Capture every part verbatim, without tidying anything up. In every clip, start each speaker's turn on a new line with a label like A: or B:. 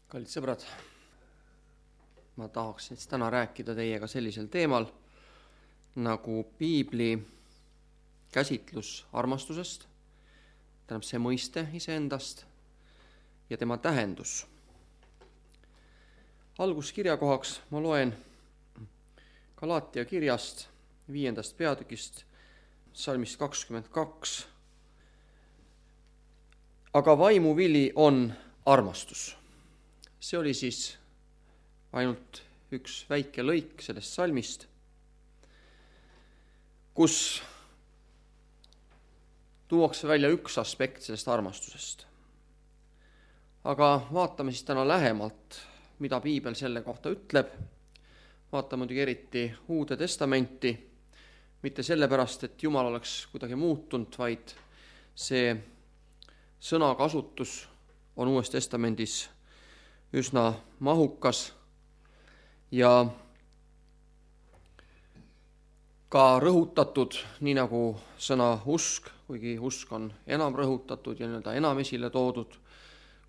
A: Kallid sõbrad, ma tahaksin täna rääkida teiega sellisel teemal nagu piibli käsitlus armastusest, tähendab see mõiste iseendast ja tema tähendus. Alguskirjakohaks ma loen Galaatia kirjast viiendast peatükist salmist kakskümmend kaks. Aga vaimuvili on armastus. See oli siis ainult üks väike lõik sellest salmist, kus tuuakse välja üks aspekt sellest armastusest. Aga vaatame siis täna lähemalt, mida piibel selle kohta ütleb. Vaatame muidugi eriti Uude Testamenti, mitte sellepärast, et Jumal oleks kuidagi muutunud, vaid see sõnakasutus on Uues Testamendis üsna mahukas ja ka rõhutatud, nii nagu sõna usk, kuigi usk on enam rõhutatud ja nii-öelda enam esile toodud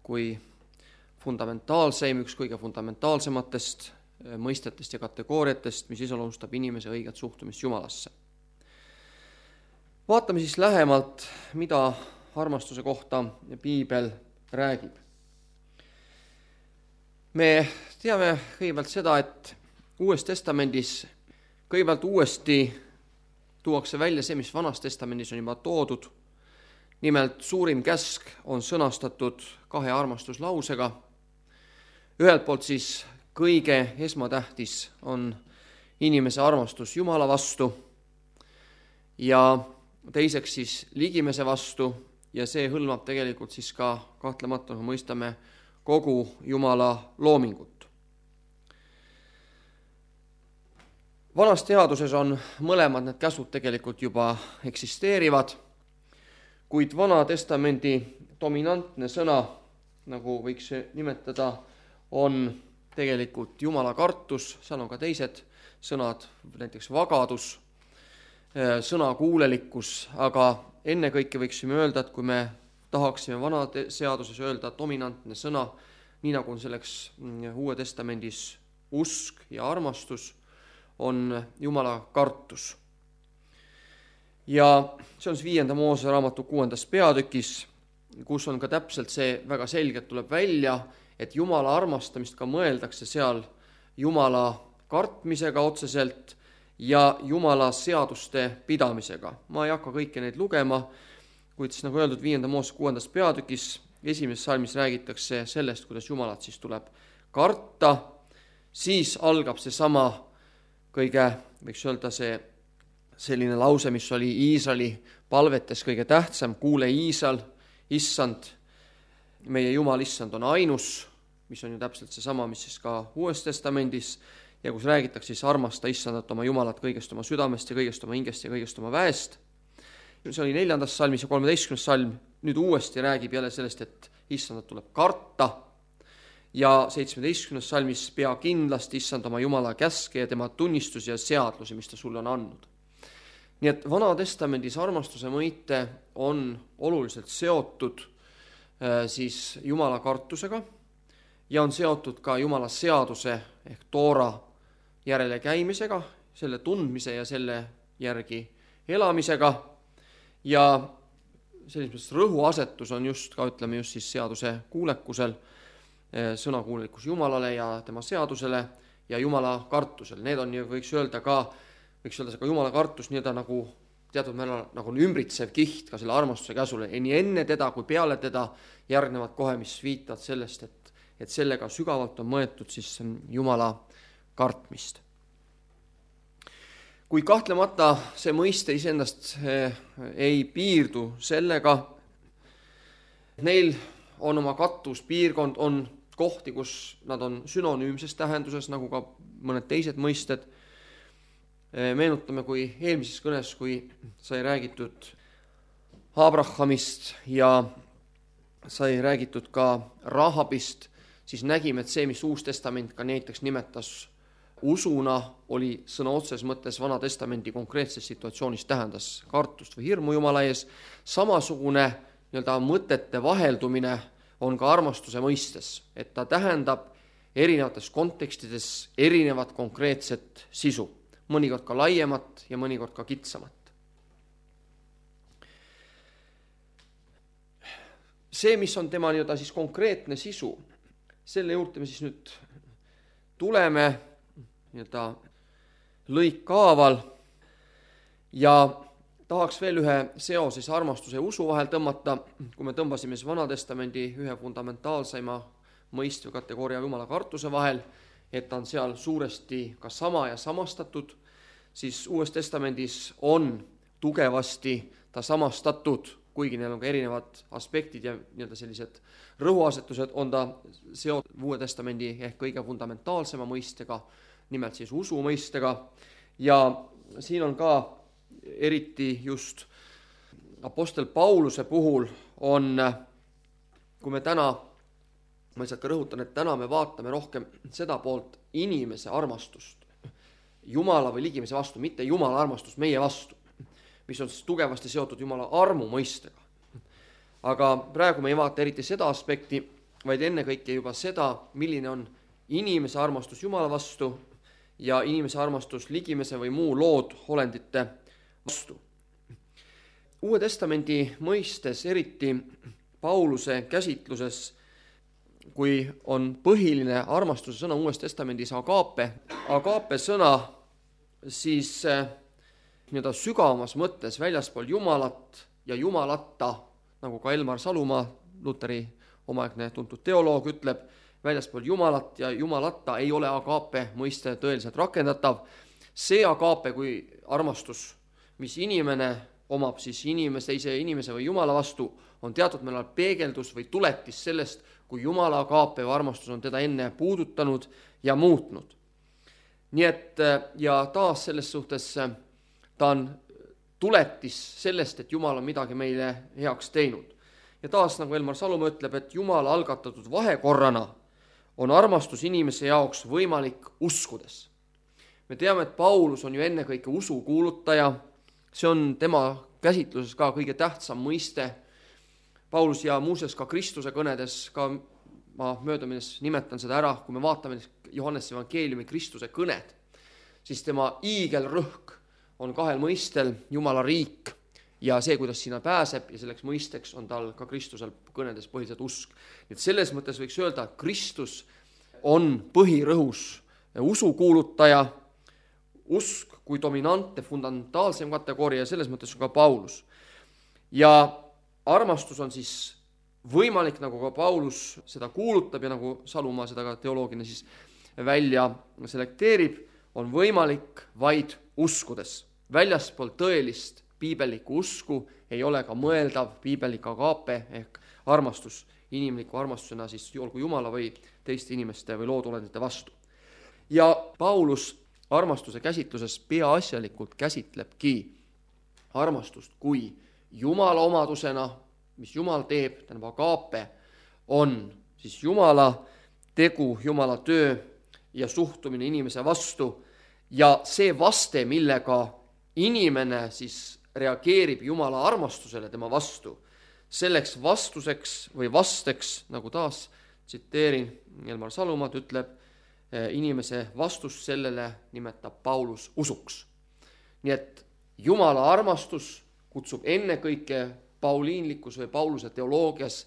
A: kui fundamentaalseim, üks kõige fundamentaalsematest mõistetest ja kategooriatest, mis iseloomustab inimese õiget suhtumist Jumalasse. Vaatame siis lähemalt, mida armastuse kohta piibel räägib. Me teame kõigepealt seda, et Uues Testamendis kõigepealt uuesti tuuakse välja see, mis Vanas Testamendis on juba toodud. Nimelt suurim käsk on sõnastatud kahe armastuslausega. Ühelt poolt siis kõige esmatähtis on inimese armastus Jumala vastu ja teiseks siis ligimese vastu ja see hõlmab tegelikult siis ka kahtlemata, me mõistame, kogu Jumala loomingut. Vanas teaduses on mõlemad need käsud tegelikult juba eksisteerivad, kuid Vana Testamendi dominantne sõna, nagu võiks nimetada, on tegelikult Jumala kartus, seal on ka teised sõnad, näiteks vagadus, sõnakuulelikkus, aga ennekõike võiksime öelda, et kui me tahaksime Vana seaduses öelda dominantne sõna, nii nagu on selleks Uue Testamendis usk ja armastus, on Jumala kartus. Ja see on siis viienda Moose raamatu kuuendas peatükis, kus on ka täpselt see väga selgelt tuleb välja, et Jumala armastamist ka mõeldakse seal Jumala kartmisega otseselt ja Jumala seaduste pidamisega. Ma ei hakka kõiki neid lugema, kuid siis nagu öeldud viienda Moose kuuendas peatükis esimeses salmis räägitakse sellest, kuidas Jumalat siis tuleb karta, siis algab see sama kõige, võiks öelda see selline lause, mis oli Iisraeli palvetes kõige tähtsam, kuule Iisrael, issand, meie Jumal issand on ainus, mis on ju täpselt see sama, mis siis ka Uues Testamendis, ja kus räägitakse siis armasta issandat oma Jumalat kõigest oma südamest ja kõigest oma hingest ja kõigest oma väest. See oli neljandas salmis ja kolmeteistkümnes salm, nüüd uuesti räägib jälle sellest, et issandat tuleb karta ja seitsmeteistkümnes salmis pea kindlasti issand oma Jumala käske ja tema tunnistusi ja seadlusi, mis ta sulle on andnud. Nii et Vana Testamendis armastuse mõiste on oluliselt seotud siis Jumala kartusega ja on seotud ka Jumala seaduse ehk Toora järele käimisega, selle tundmise ja selle järgi elamisega. Ja selles mõttes rõhuasetus on just ka, ütleme just siis seaduse kuulekusel, sõnakuulekus Jumalale ja tema seadusele ja Jumala kartusel. Need on, võiks öelda ka, võiks öelda ka Jumala kartus nii-öelda nagu teatud määral nagu ümbritsev kiht ka selle armastuse käsule. Nii enne teda kui peale teda järgnevad kohe, mis viitavad sellest, et, et sellega sügavalt on mõetud siis Jumala kartmist. Kui kahtlemata see mõiste iseendast ei piirdu sellega, neil on oma kattus, piirkond, on kohti, kus nad on sünonüümses tähenduses, nagu ka mõned teised mõisted. Meenutame, kui eelmises kõnes, kui sai räägitud Abrahamist ja sai räägitud ka Rahabist, siis nägime, et see, mis Uus Testament ka näiteks nimetas usuna, oli sõna otses mõttes Vana Testamendi konkreetses situatsioonis tähendas kartust või hirmu Jumala ees. Samasugune nii-öelda mõtete vaheldumine on ka armastuse mõistes, et ta tähendab erinevates kontekstides erinevat konkreetset sisu, mõnikord ka laiemat ja mõnikord ka kitsamat. See, mis on tema nii-öelda siis konkreetne sisu, selle juurde me siis nüüd tuleme nii-öelda lõikkaaval ja tahaks veel ühe seose armastuse ja usu vahel tõmmata, kui me tõmbasime siis Vanatestamendi ühe fundamentaalseima mõistva kategooria jumala kartuse vahel, et ta on seal suuresti ka sama ja samastatud, siis Uues Testamendis on tugevasti ta samastatud, kuigi neil on ka erinevad aspektid ja nii-öelda sellised rõhuasetused, on ta seotud Uue Testamendi ehk kõige fundamentaalsema mõistega, nimelt siis usu mõistega, ja siin on ka eriti just apostel Pauluse puhul on, kui me täna, ma lihtsalt ka rõhutan, et täna me vaatame rohkem seda poolt inimese armastust Jumala või ligimese vastu, mitte Jumala armastust meie vastu, mis on tugevasti seotud Jumala armu mõistega. Aga praegu me ei vaata eriti seda aspekti, vaid ennekõike juba seda, milline on inimese armastus Jumala vastu ja inimese armastus ligimese või muu lood olendite vastu. Uue Testamendi mõistes, eriti Pauluse käsitluses, kui on põhiline armastuse sõna Uues Testamendis agape, agape sõna, siis nii-öelda sügavamas mõttes väljaspool Jumalat ja Jumalata, nagu ka Elmar Salumaa, Luteri omaaegne tuntud teoloog, ütleb, väljaspool Jumalat ja Jumalata ei ole agape mõiste tõeliselt rakendatav. See agape kui armastus, mis inimene omab siis inimese, ise inimese või Jumala vastu, on teatud mõnel peegeldus või tuletis sellest, kui Jumala agape või armastus on teda enne puudutanud ja muutnud. Nii et ja taas selles suhtes ta on tuletis sellest, et Jumal on midagi meile heaks teinud. Ja taas, nagu Elmar Salumaa ütleb, et Jumala algatatud vahekorrana on armastus inimese jaoks võimalik uskudes. Me teame, et Paulus on ju ennekõike usu kuulutaja, see on tema käsitluses ka kõige tähtsam mõiste. Paulus ja muuseas ka Kristuse kõnedes, ka ma möödumises nimetan seda ära, kui me vaatame Johannese evangeeliumi Kristuse kõned, siis tema iigelrõhk on kahel mõistel, Jumala riik ja see, kuidas sinna pääseb, ja selleks mõisteks on tal ka Kristusel kõnedes põhiliselt usk. Et selles mõttes võiks öelda, et Kristus on põhirõhus usu kuulutaja, usk kui dominantne, fundamentaalsem kategooria, ja selles mõttes on ka Paulus. Ja armastus on siis võimalik, nagu ka Paulus seda kuulutab ja nagu Salumaa seda ka teoloogina siis välja selekteerib, on võimalik vaid uskudes. Väljaspool tõelist piibellikku usku ei ole ka mõeldav piibellik agape ehk armastus inimliku armastusena siis olgu Jumala või teiste inimeste või loodolendite vastu. Ja Paulus armastuse käsitluses peaasjalikult käsitlebki armastust kui Jumala omadusena, mis Jumal teeb, tähendab agape, on siis Jumala tegu, Jumala töö ja suhtumine inimese vastu ja see vaste, millega inimene siis reageerib Jumala armastusele tema vastu, selleks vastuseks või vasteks, nagu taas tsiteerin Elmar Salumaad, ütleb, inimese vastus sellele nimetab Paulus usuks. Nii et Jumala armastus kutsub ennekõike pauliinlikus või Pauluse teoloogias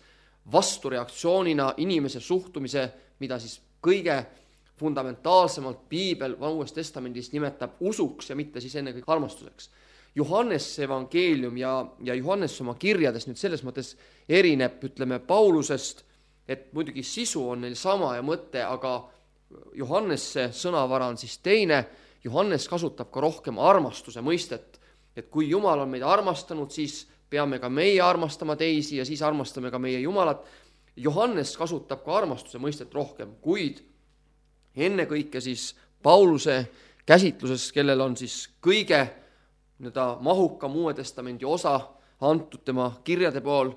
A: vastureaktsioonina inimese suhtumise, mida siis kõige fundamentaalsemalt piibel Uues Testamendis nimetab usuks ja mitte siis ennekõike armastuseks. Johannes evangeelium ja, ja Johannes oma kirjades nüüd selles mõttes erineb, ütleme, Paulusest, et muidugi sisu on neil sama ja mõte, aga Johannesse sõnavara on siis teine. Johannes kasutab ka rohkem armastuse mõistet, et kui Jumal on meid armastanud, siis peame ka meie armastama teisi ja siis armastame ka meie Jumalat. Johannes kasutab ka armastuse mõistet rohkem, kuid ennekõike siis Pauluse käsitluses, kellel on siis kõige nii-öelda mahukam Uue Testamendi osa antud tema kirjade pool,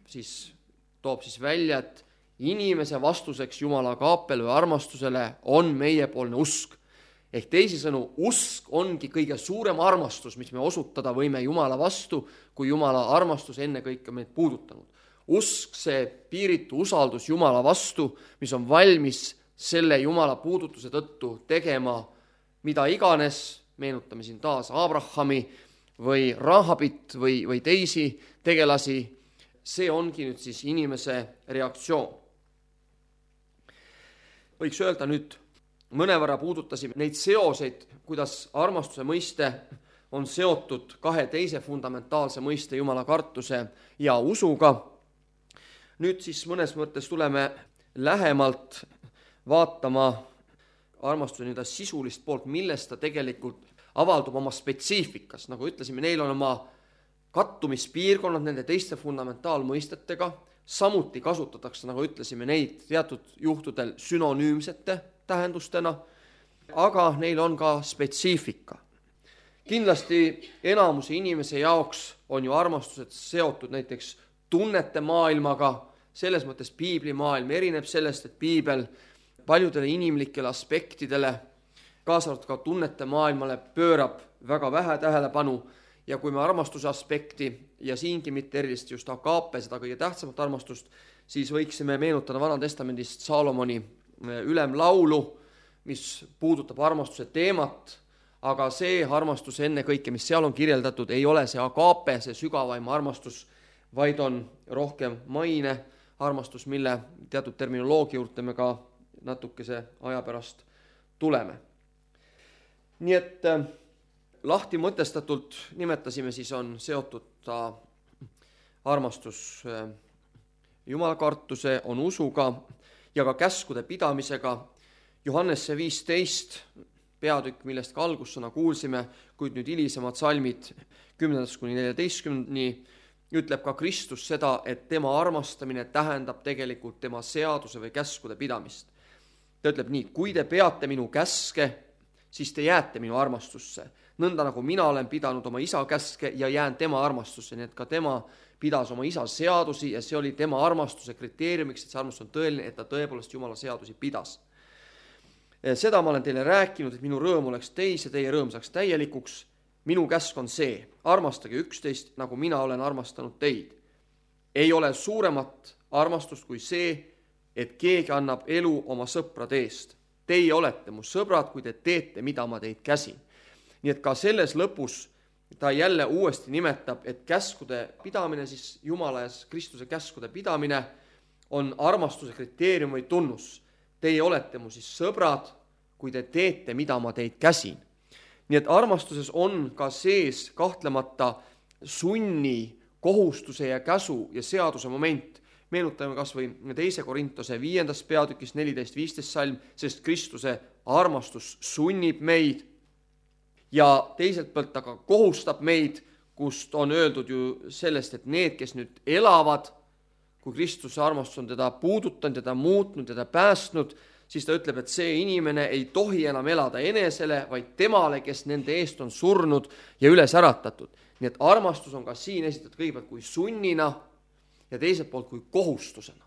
A: siis toob siis välja, et inimese vastuseks Jumala agaapele või armastusele on meiepoolne usk. Ehk teisisõnu, usk ongi kõige suurem armastus, mis me osutada võime Jumala vastu, kui Jumala armastus ennekõike meid puudutanud. Usk, see piiritu usaldus Jumala vastu, mis on valmis selle Jumala puudutuse tõttu tegema mida iganes, meenutame siin taas Abrahami või Rahabit või, või teisi tegelasi, see ongi nüüd siis inimese reaktsioon. Võiks öelda nüüd, mõnevõrra puudutasime neid seoseid, kuidas armastuse mõiste on seotud kahe teise fundamentaalse mõiste Jumala kartuse ja usuga. Nüüd siis mõnes mõttes tuleme lähemalt vaatama armastuse nii-öelda sisulist poolt, millest ta tegelikult avaldub oma spetsiifikas. Nagu ütlesime, neil on oma kattumispiirkonnad nende teiste fundamentaalmõistetega, samuti kasutatakse, nagu ütlesime, neid teatud juhtudel sünonüümsete tähendustena, aga neil on ka spetsiifika. Kindlasti enamuse inimese jaoks on ju armastused seotud näiteks tunnete maailmaga, selles mõttes piiblimaailm erineb sellest, et piibel paljudele inimlikele aspektidele, kaasa arvatud ka tunnete maailmale, pöörab väga vähe tähelepanu ja kui me armastuse aspekti ja siingi mitte erilist just agaape, seda kõige tähtsamat armastust, siis võiksime meenutada Vana Testamendist Saalomoni ülemlaulu, mis puudutab armastuse teemat, aga see armastus enne kõike, mis seal on kirjeldatud, ei ole see agaape, see sügavaim armastus, vaid on rohkem maine armastus, mille teatud terminoloogia juurde me ka natukese aja pärast tuleme. Nii et lahti mõtestatult nimetasime, siis on seotud ta armastus jumalakartuse, on usuga ja ka käskude pidamisega. Johannese viisteist peatükk, millest ka algussõna kuulsime, kuid nüüd hilisemad salmid kümnendast kuni neljateistkümnendani, ütleb ka Kristus seda, et tema armastamine tähendab tegelikult tema seaduse või käskude pidamist. Ta ütleb nii, kui te peate minu käske, siis te jääte minu armastusse. Nõnda nagu mina olen pidanud oma isa käske ja jään tema armastusse, nii et ka tema pidas oma isa seadusi ja see oli tema armastuse kriteeriumiks, et see armastus on tõeline, et ta tõepoolest Jumala seadusi pidas. Seda ma olen teile rääkinud, et minu rõõm oleks teis ja teie rõõm saaks täielikuks. Minu käsk on see, armastage üksteist, nagu mina olen armastanud teid. Ei ole suuremat armastust kui see, et keegi annab elu oma sõprade eest. Teie olete mu sõbrad, kui te teete, mida ma teid käsin. Nii et ka selles lõpus ta jälle uuesti nimetab, et käskude pidamine, siis Jumala ja Kristuse käskude pidamine on armastuse kriteerium või tunnus. Teie olete mu siis sõbrad, kui te teete, mida ma teid käsin. Nii et armastuses on ka sees kahtlemata sunni, kohustuse ja käsu ja seaduse moment. Meenutame kas või teise Korintuse viiendas peatükis neliteist viisteist salm, sest Kristuse armastus sunnib meid ja teiselt poolt aga kohustab meid, kust on öeldud ju sellest, et need, kes nüüd elavad, kui Kristuse armastus on teda puudutanud, teda muutnud, teda päästnud, siis ta ütleb, et see inimene ei tohi enam elada enesele, vaid temale, kes nende eest on surnud ja üles äratatud. Nii et armastus on ka siin esitatud kõigepealt kui sunnina ja teiselt poolt kui kohustusena.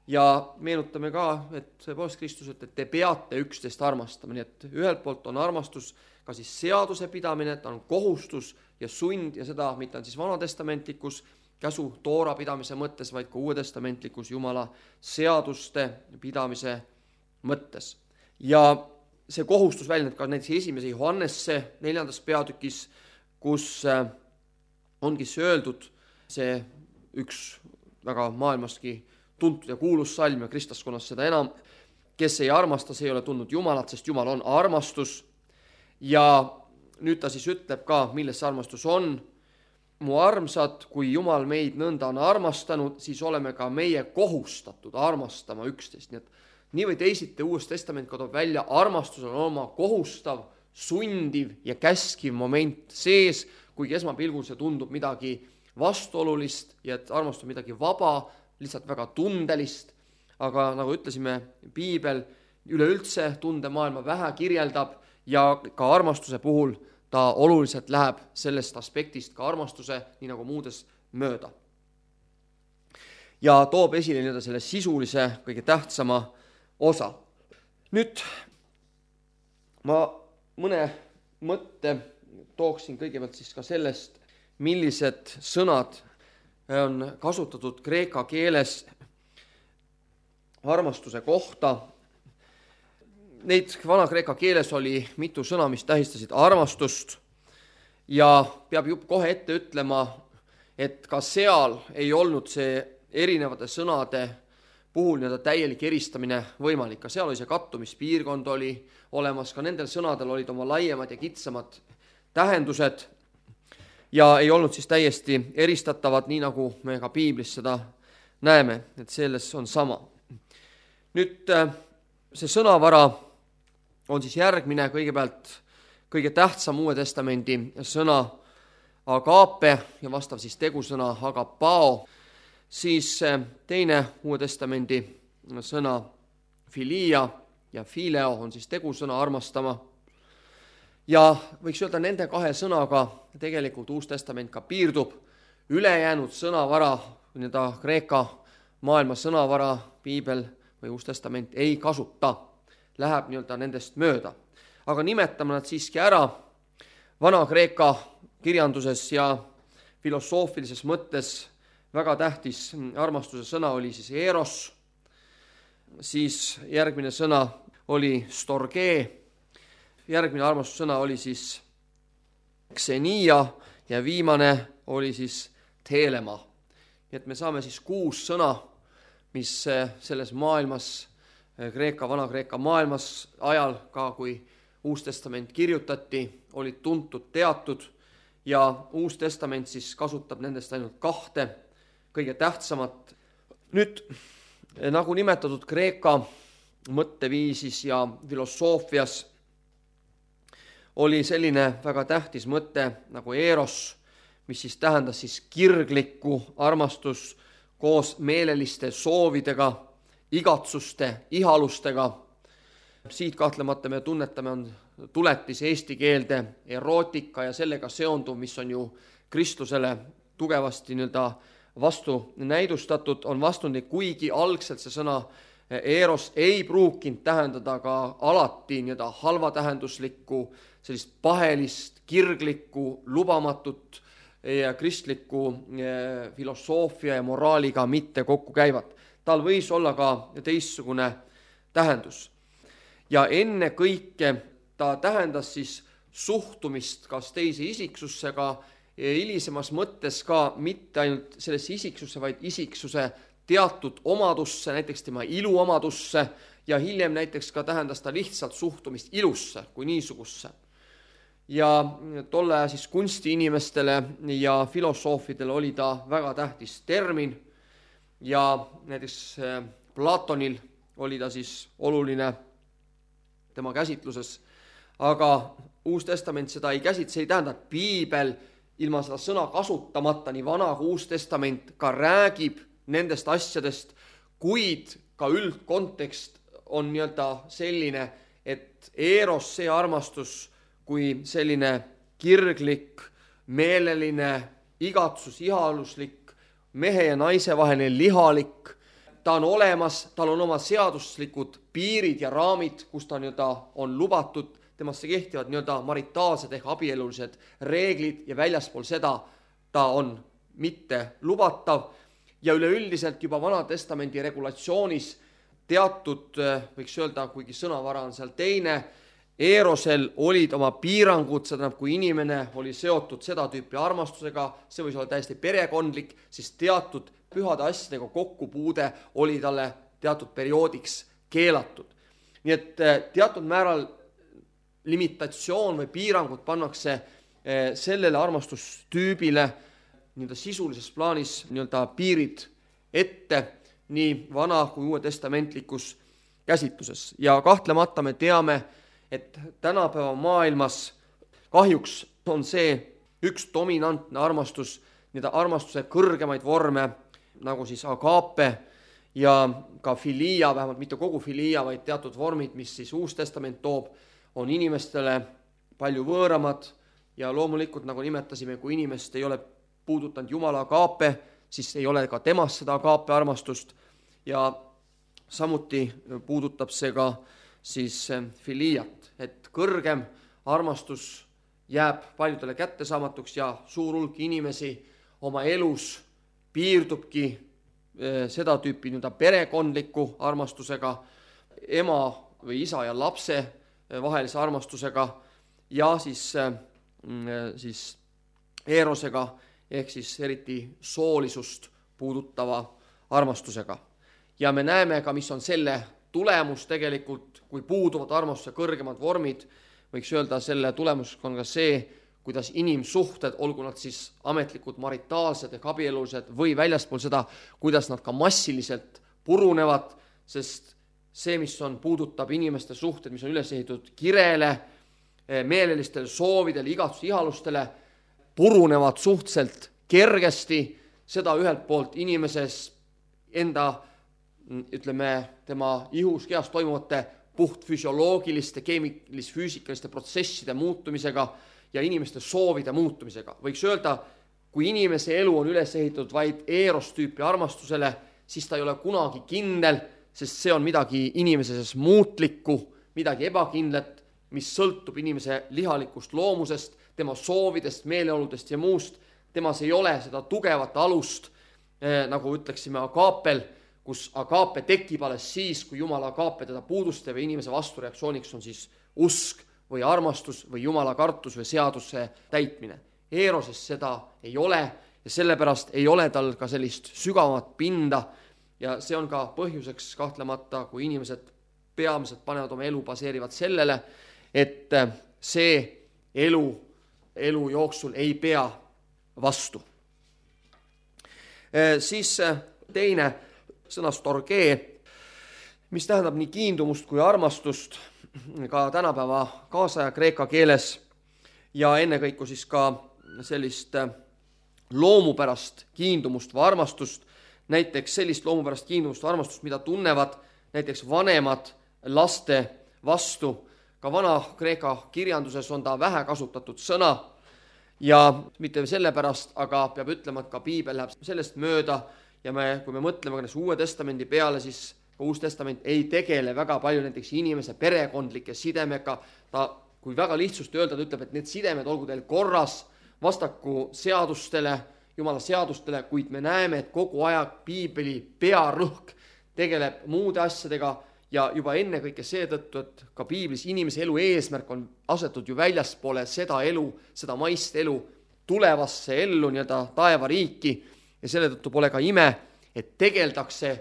A: Ja meenutame ka, et tõepoolest Kristus ütleb, et te peate üksteist armastama, nii et ühelt poolt on armastus ka siis seaduse pidamine, ta on kohustus ja sund ja seda mitte on siis vanatestamentlikus käsu toora pidamise mõttes, vaid ka uuetestamentlikus Jumala seaduste pidamise mõttes. Ja see kohustus väljendab ka näiteks esimese Johannesse neljandas peatükis, kus ongi see öeldud, see üks väga maailmaski tuntud ja kuulus salm ja kristlaskonnas seda enam, kes ei armasta, see ei ole tundnud Jumalat, sest Jumal on armastus. Ja nüüd ta siis ütleb ka, milles see armastus on. Mu armsad, kui Jumal meid nõnda on armastanud, siis oleme ka meie kohustatud armastama üksteist. Nii et nii või teisiti Uues Testament ka toob välja, armastus on oma kohustav, sundiv ja käskiv moment sees, kuigi esmapilgul see tundub midagi vastuolulist ja et armastus on midagi vaba, lihtsalt väga tundelist, aga nagu ütlesime, piibel üleüldse tundemaailma vähe kirjeldab ja ka armastuse puhul ta oluliselt läheb sellest aspektist ka armastuse, nii nagu muudes, mööda. Ja toob esile nii-öelda selle sisulise kõige tähtsama osa. Nüüd ma mõne mõtte tooksin kõigepealt siis ka sellest, millised sõnad on kasutatud kreeka keeles armastuse kohta. Neid vana-kreeka keeles oli mitu sõna, mis tähistasid armastust ja peab juba kohe ette ütlema, et ka seal ei olnud see erinevate sõnade puhul nii-öelda täielik eristamine võimalik. Ka seal oli see kattumispiirkond oli olemas, ka nendel sõnadel olid oma laiemad ja kitsamad tähendused ja ei olnud siis täiesti eristatavad, nii nagu me ka piiblis seda näeme, et selles on sama. Nüüd see sõnavara on siis järgmine, kõigepealt kõige tähtsam Uue Testamendi sõna agape ja vastav siis tegusõna agapao, siis teine Uue Testamendi sõna filia ja fileo on siis tegusõna armastama. Ja võiks öelda, nende kahe sõnaga tegelikult Uus Testament ka piirdub. Ülejäänud sõnavara, nii-öelda kreeka maailma sõnavara, piibel või Uus Testament ei kasuta, läheb nii-öelda nendest mööda. Aga nimetame nad siiski ära. Vana-kreeka kirjanduses ja filosoofilises mõttes väga tähtis armastuse sõna oli siis eros, siis järgmine sõna oli storgee, järgmine armastussõna oli siis ksenia ja viimane oli siis telema. Nii et me saame siis kuus sõna, mis selles maailmas, Kreeka, Vana-Kreeka maailmas ajal ka, kui Uus Testament kirjutati, olid tuntud, teatud ja Uus Testament siis kasutab nendest ainult kahte, kõige tähtsamat. Nüüd, nagu nimetatud Kreeka mõtteviisis ja filosoofias oli selline väga tähtis mõte nagu eros, mis siis tähendas siis kirglikku armastus koos meeleliste soovidega, igatsuste, ihalustega. Siit kahtlemata me tunnetame, on tuletis eesti keelde erootika ja sellega seonduv, mis on ju kristlusele tugevasti nii-öelda vastu näidustatud, on vastundlik, kuigi algselt see sõna eros ei pruukinud tähendada ka alati nii-öelda halvatähenduslikku, sellist pahelist, kirglikku, lubamatut ja kristliku filosoofia ja moraaliga mitte kokku käivat. Tal võis olla ka teistsugune tähendus. Ja enne kõike ta tähendas siis suhtumist kas teise isiksussega, hilisemas mõttes ka mitte ainult sellesse isiksusse, vaid isiksuse teatud omadusse, näiteks tema iluomadusse ja hiljem näiteks ka tähendas ta lihtsalt suhtumist ilusse kui niisugusse. Ja tolle siis kunstiinimestele ja filosoofidele oli ta väga tähtis termin ja näiteks Platonil oli ta siis oluline tema käsitluses, aga Uus Testament seda ei käsit, see ei tähenda, et piibel ilma seda sõna kasutamata, nii Vana kui Uus Testament ka räägib nendest asjadest, kuid ka üldkontekst on nii-öelda selline, et eros, see armastus kui selline kirglik, meeleline, igatsus, ihaluslik, mehe ja naise vaheline lihalik, ta on olemas, tal on oma seaduslikud piirid ja raamid, kus ta nii-öelda on lubatud, temasse kehtivad nii-öelda maritaalsed ehk abielulised reeglid ja väljaspool seda ta on mitte lubatav ja üleüldiselt juba Vana Testamendi regulatsioonis teatud, võiks öelda, kuigi sõnavara on seal teine, Eerosel olid oma piirangud, seda kui inimene oli seotud seda tüüpi armastusega, see võis olla täiesti perekondlik, siis teatud pühade asjadega kokkupuude oli talle teatud perioodiks keelatud. Nii et teatud määral limitatsioon või piirangud pannakse sellele armastustüübile nii-öelda sisulises plaanis nii-öelda piirid ette nii vana kui uue testamentlikus käsitluses. Ja kahtlemata me teame, et tänapäeva maailmas kahjuks on see üks dominantne armastus, nii-öelda armastuse kõrgemaid vorme, nagu siis agape ja ka filia, vähemalt mitte kogu filia, vaid teatud vormid, mis siis Uus Testament toob, on inimestele palju võõramad ja loomulikult, nagu nimetasime, kui inimest ei ole puudutanud Jumala agape, siis ei ole ka temast seda agape armastust ja samuti puudutab see ka siis filiat, et kõrgem armastus jääb paljudele kättesaamatuks ja suur hulk inimesi oma elus piirdubki seda tüüpi nii-öelda perekondliku armastusega, ema või isa ja lapse vahelise armastusega ja siis, siis eerosega ehk siis eriti soolisust puudutava armastusega. Ja me näeme ka, mis on selle tulemus tegelikult, kui puuduvad armastuse kõrgemad vormid, võiks öelda, selle tulemus on ka see, kuidas inimsuhted, olgu nad siis ametlikud, maritaalsed ehk abielulised või väljaspool seda, kuidas nad ka massiliselt purunevad, sest see, mis on, puudutab inimeste suhted, mis on üles ehitatud kirele, meelelistele soovidele, igatsus ihalustele, purunevad suhteliselt kergesti, seda ühelt poolt inimeses enda, ütleme, tema ihus, kehas toimuvate puhtfüsioloogiliste, keemilis-füüsikaliste protsesside muutumisega ja inimeste soovide muutumisega. Võiks öelda, kui inimese elu on üles ehitatud vaid eerostüüpi armastusele, siis ta ei ole kunagi kindel, sest see on midagi inimeses muutlikku, midagi ebakindlat, mis sõltub inimese lihalikust loomusest, tema soovidest, meeleoludest ja muust. Temas ei ole seda tugevat alust, eh, nagu ütleksime agaapel, kus agaape tekib alles siis, kui Jumala agaape teda puudustab ja inimese vastureaktsiooniks on siis usk või armastus või Jumala kartus või seaduse täitmine. Eeroses seda ei ole ja sellepärast ei ole tal ka sellist sügavamat pinda ja see on ka põhjuseks kahtlemata, kui inimesed peamiselt panevad oma elu baseerivad sellele, et see elu, elu jooksul ei pea vastu. E, siis teine sõna storgee, mis tähendab nii kiindumust kui armastust ka tänapäeva kaasaja kreeka keeles ja ennekõike siis ka sellist loomupärast kiindumust või armastust, näiteks sellist loomupärast kiindumust või armastust, mida tunnevad näiteks vanemad laste vastu. Ka vana kreeka kirjanduses on ta vähe kasutatud sõna ja mitte sellepärast, aga peab ütlema, et ka piibel läheb sellest mööda ja me, kui me mõtleme ka Uue Testamendi peale, siis Uus Testament ei tegele väga palju näiteks inimese perekondlike sidemega. Ta, kui väga lihtsust öelda, ta ütleb, et need sidemed olgu teil korras vastaku seadustele, Jumala seadustele, kuid me näeme, et kogu aeg piibeli pearõhk tegeleb muude asjadega ja juba enne kõike seetõttu, et ka piiblis inimese elu eesmärk on asetud ju väljaspoole seda elu, seda maist elu, tulevasse ellu, nii-öelda taevariiki ja selle tõttu pole ka ime, et tegeldakse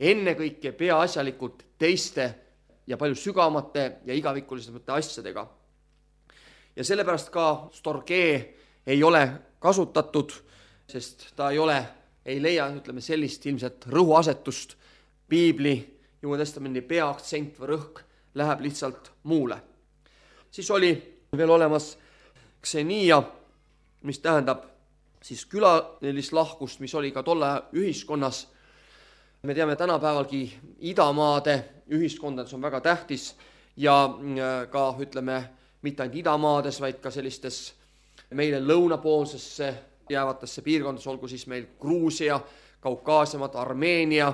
A: ennekõike peaasjalikult teiste ja palju sügavamate ja igavikulisemate asjadega. Ja sellepärast ka storgee ei ole kasutatud, sest ta ei ole, ei leia, ütleme, sellist ilmselt rõhuasetust. Piibli, Uue Testamendi peaaktsent või rõhk läheb lihtsalt muule. Siis oli veel olemas ksenia, mis tähendab siis külalist lahkust, mis oli ka tolle ühiskonnas. Me teame tänapäevalgi idamaade ühiskondades on väga tähtis ja ka, ütleme, mitte ainult idamaades, vaid ka sellistes meile lõunapoolsesse jäävatesse piirkondades, olgu siis meil Gruusia, Kaukaasiamaad, Armeenia,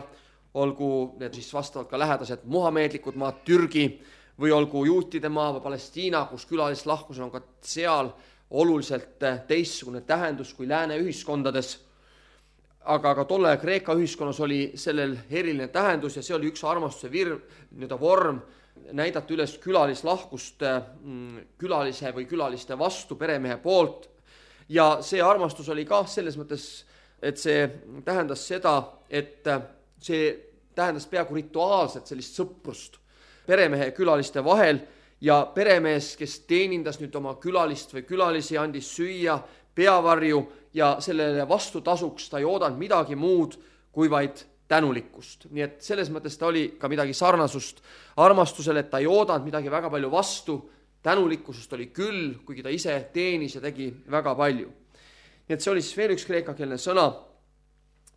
A: olgu need siis vastavalt ka lähedased muhameedlikud maad, Türgi või olgu juutide maa või Palestiina, kus külalist lahkus on ka seal oluliselt teistsugune tähendus kui lääne ühiskondades. Aga ka tolle Kreeka ühiskonnas oli sellel eriline tähendus ja see oli üks armastuse vir, nii-öelda vorm, näidata üles külalislahkust külalise või külaliste vastu peremehe poolt. Ja see armastus oli ka selles mõttes, et see tähendas seda, et see tähendas peaaegu rituaalset sellist sõprust peremehe ja külaliste vahel ja peremees, kes teenindas nüüd oma külalist või külalisi, andis süüa, peavarju ja sellele vastutasuks ta ei oodanud midagi muud kui vaid tänulikkust. Nii et selles mõttes ta oli ka midagi sarnasust armastusele, et ta ei oodanud midagi väga palju vastu, tänulikkusest oli küll, kuigi ta ise teenis ja tegi väga palju. Nii et see oli siis veel üks kreekakeelne sõna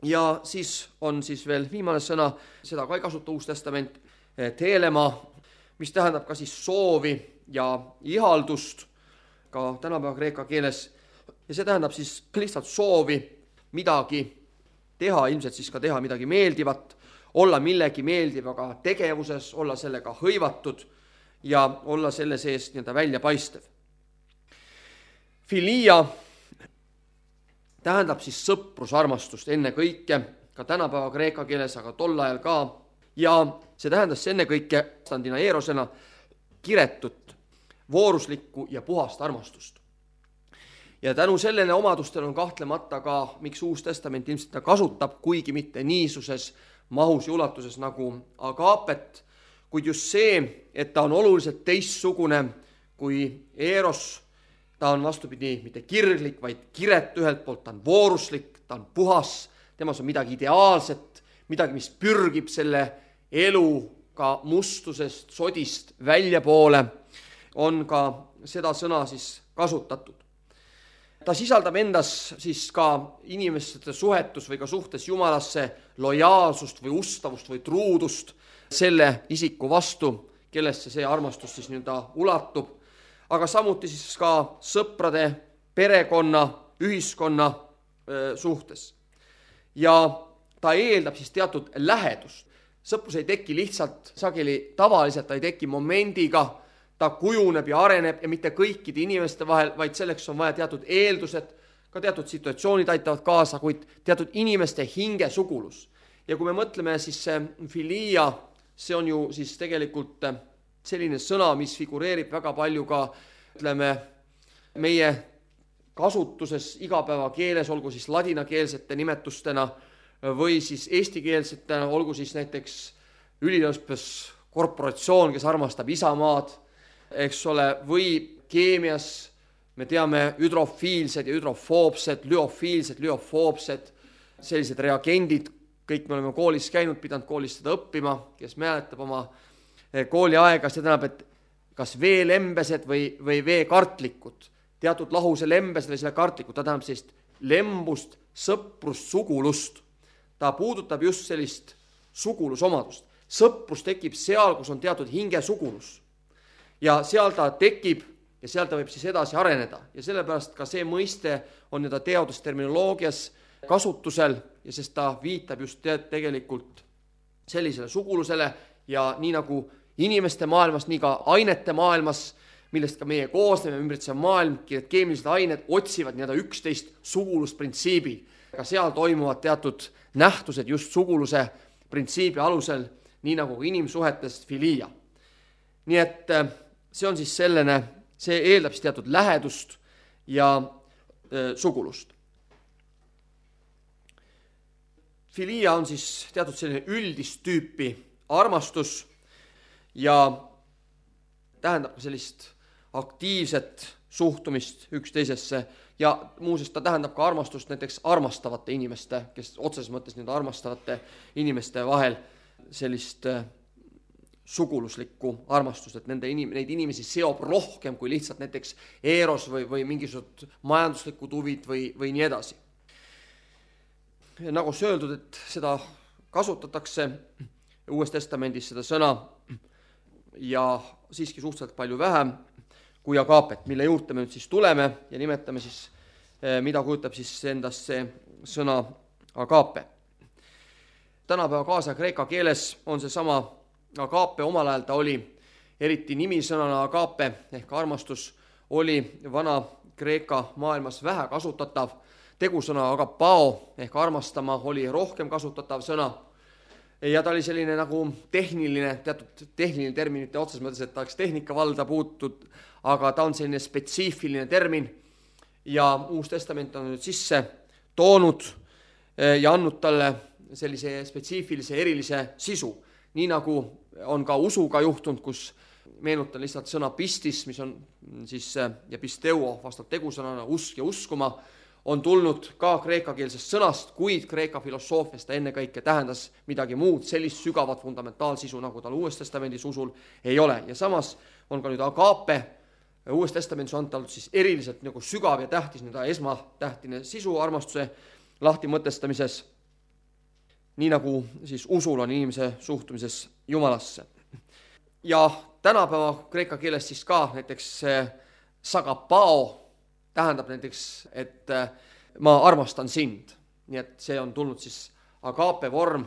A: ja siis on siis veel viimane sõna, seda ka ei kasuta Uus Testament, teelema, mis tähendab ka siis soovi ja ihaldust ka tänapäeva kreeka keeles ja see tähendab siis lihtsalt soovi midagi teha, ilmselt siis ka teha midagi meeldivat, olla millegi meeldivaga tegevuses, olla sellega hõivatud ja olla selle sees nii-öelda väljapaistev. Filia tähendab siis sõprusarmastust enne kõike, ka tänapäeva kreeka keeles, aga tol ajal ka. Ja see tähendas enne kõike standina eerosena kiretut, vooruslikku ja puhast armastust. Ja tänu sellele omadustele on kahtlemata ka, miks Uus Testament ilmselt ta kasutab, kuigi mitte niisuses mahus ja ulatuses nagu agaapet, kuid just see, et ta on oluliselt teistsugune kui eeros. Ta on vastupidi mitte kirglik, vaid kiret ühelt poolt, ta on vooruslik, ta on puhas, temas on midagi ideaalset, midagi, mis pürgib selle eluga mustusest, sodist väljapoole, on ka seda sõna siis kasutatud. Ta sisaldab endas siis ka inimeste suhetus või ka suhtes Jumalasse lojaalsust või ustavust või truudust selle isiku vastu, kellesse see armastus siis nii-öelda ulatub, aga samuti siis ka sõprade, perekonna, ühiskonna suhtes. Ja ta eeldab siis teatud lähedust. Sõprus ei teki lihtsalt sageli tavaliselt, ta ei teki momendiga, ta kujuneb ja areneb ja mitte kõikide inimeste vahel, vaid selleks on vaja teatud eeldused, ka teatud situatsioonid aitavad kaasa, kuid teatud inimeste hinge sugulus. Ja kui me mõtleme, siis see filia, see on ju siis tegelikult selline sõna, mis figureerib väga palju ka, ütleme, meie kasutuses igapäeva keeles, olgu siis ladinakeelsete nimetustena või siis eestikeelsetena, olgu siis näiteks üliõpes korporatsioon, kes armastab isamaad, eks ole, või keemias me teame hüdrofiilsed ja hüdrofoobsed, lüofiilsed, lüofoobsed, sellised reagendid, kõik me oleme koolis käinud, pidanud koolis seda õppima, kes mäletab oma kooliaega, see tähendab, et kas veelembesed või, või veekartlikud, teatud lahuse lembesed või selle kartlikud, ta tähendab sellist lembust, sõprust, sugulust. Ta puudutab just sellist sugulusomadust. Sõprus tekib seal, kus on teatud hinge sugulus. Ja seal ta tekib ja seal ta võib siis edasi areneda. Ja sellepärast ka see mõiste on nii-öelda teadusterminoloogias kasutusel ja sest ta viitab just tegelikult sellisele sugulusele ja nii nagu inimeste maailmas, nii ka ainete maailmas, millest ka meie koosneme, ümbritsev maailm, keemilised ained otsivad nii-öelda üksteist sugulusprintsiibil. Ka seal toimuvad teatud nähtused just suguluse printsiibi alusel, nii nagu inimsuhetes filia. Nii et see on siis selline, see eeldab siis teatud lähedust ja e, sugulust. Filia on siis teatud selline üldist tüüpi armastus ja tähendab sellist aktiivset suhtumist üksteisesse ja muuseas ta tähendab ka armastust näiteks armastavate inimeste, kes otseses mõttes nii armastavate inimeste vahel sellist suguluslikku armastust, et nende inim, neid inimesi seob rohkem kui lihtsalt näiteks eeros või, või mingisugused majanduslikud huvid või, või nii edasi. Nagu see öeldud, et seda kasutatakse Uues Testamendis seda sõna ja siiski suhteliselt palju vähem kui agaapet, mille juurde me nüüd siis tuleme ja nimetame siis, mida kujutab siis endast see sõna agaape. Tänapäeva kaasa kreeka keeles on see sama agaape, omal ajal ta oli, eriti nimisõnana agaape ehk armastus oli vana kreeka maailmas vähe kasutatav, tegusõna agapao ehk armastama oli rohkem kasutatav sõna ja ta oli selline nagu tehniline, teatud tehniline termin, mitte otses mõttes, et ta oleks tehnika valda puutud, aga ta on selline spetsiifiline termin ja Uus Testament on nüüd sisse toonud ja andnud talle sellise spetsiifilise erilise sisu. Nii nagu on ka usuga juhtunud, kus meenutan lihtsalt sõna pistis, mis on siis ja pisteuo vastavalt tegusõnana usk ja uskuma, on tulnud ka kreekakeelsest sõnast, kuid kreeka filosoofiast ta enne kõike tähendas midagi muud, sellist sügavat fundamentaalsisu, nagu tal Uues Testamendis usul ei ole. Ja samas on ka nüüd agaape, Uues Testamendis on tal siis eriliselt nagu sügav ja tähtis, nüüd esmatähtine sisu armastuse lahti mõtestamises, nii nagu siis usul on inimese suhtumises Jumalasse. Ja tänapäeva kreeka keeles siis ka näiteks sagapao tähendab näiteks, et ma armastan sind. Nii et see on tulnud siis agaape vorm,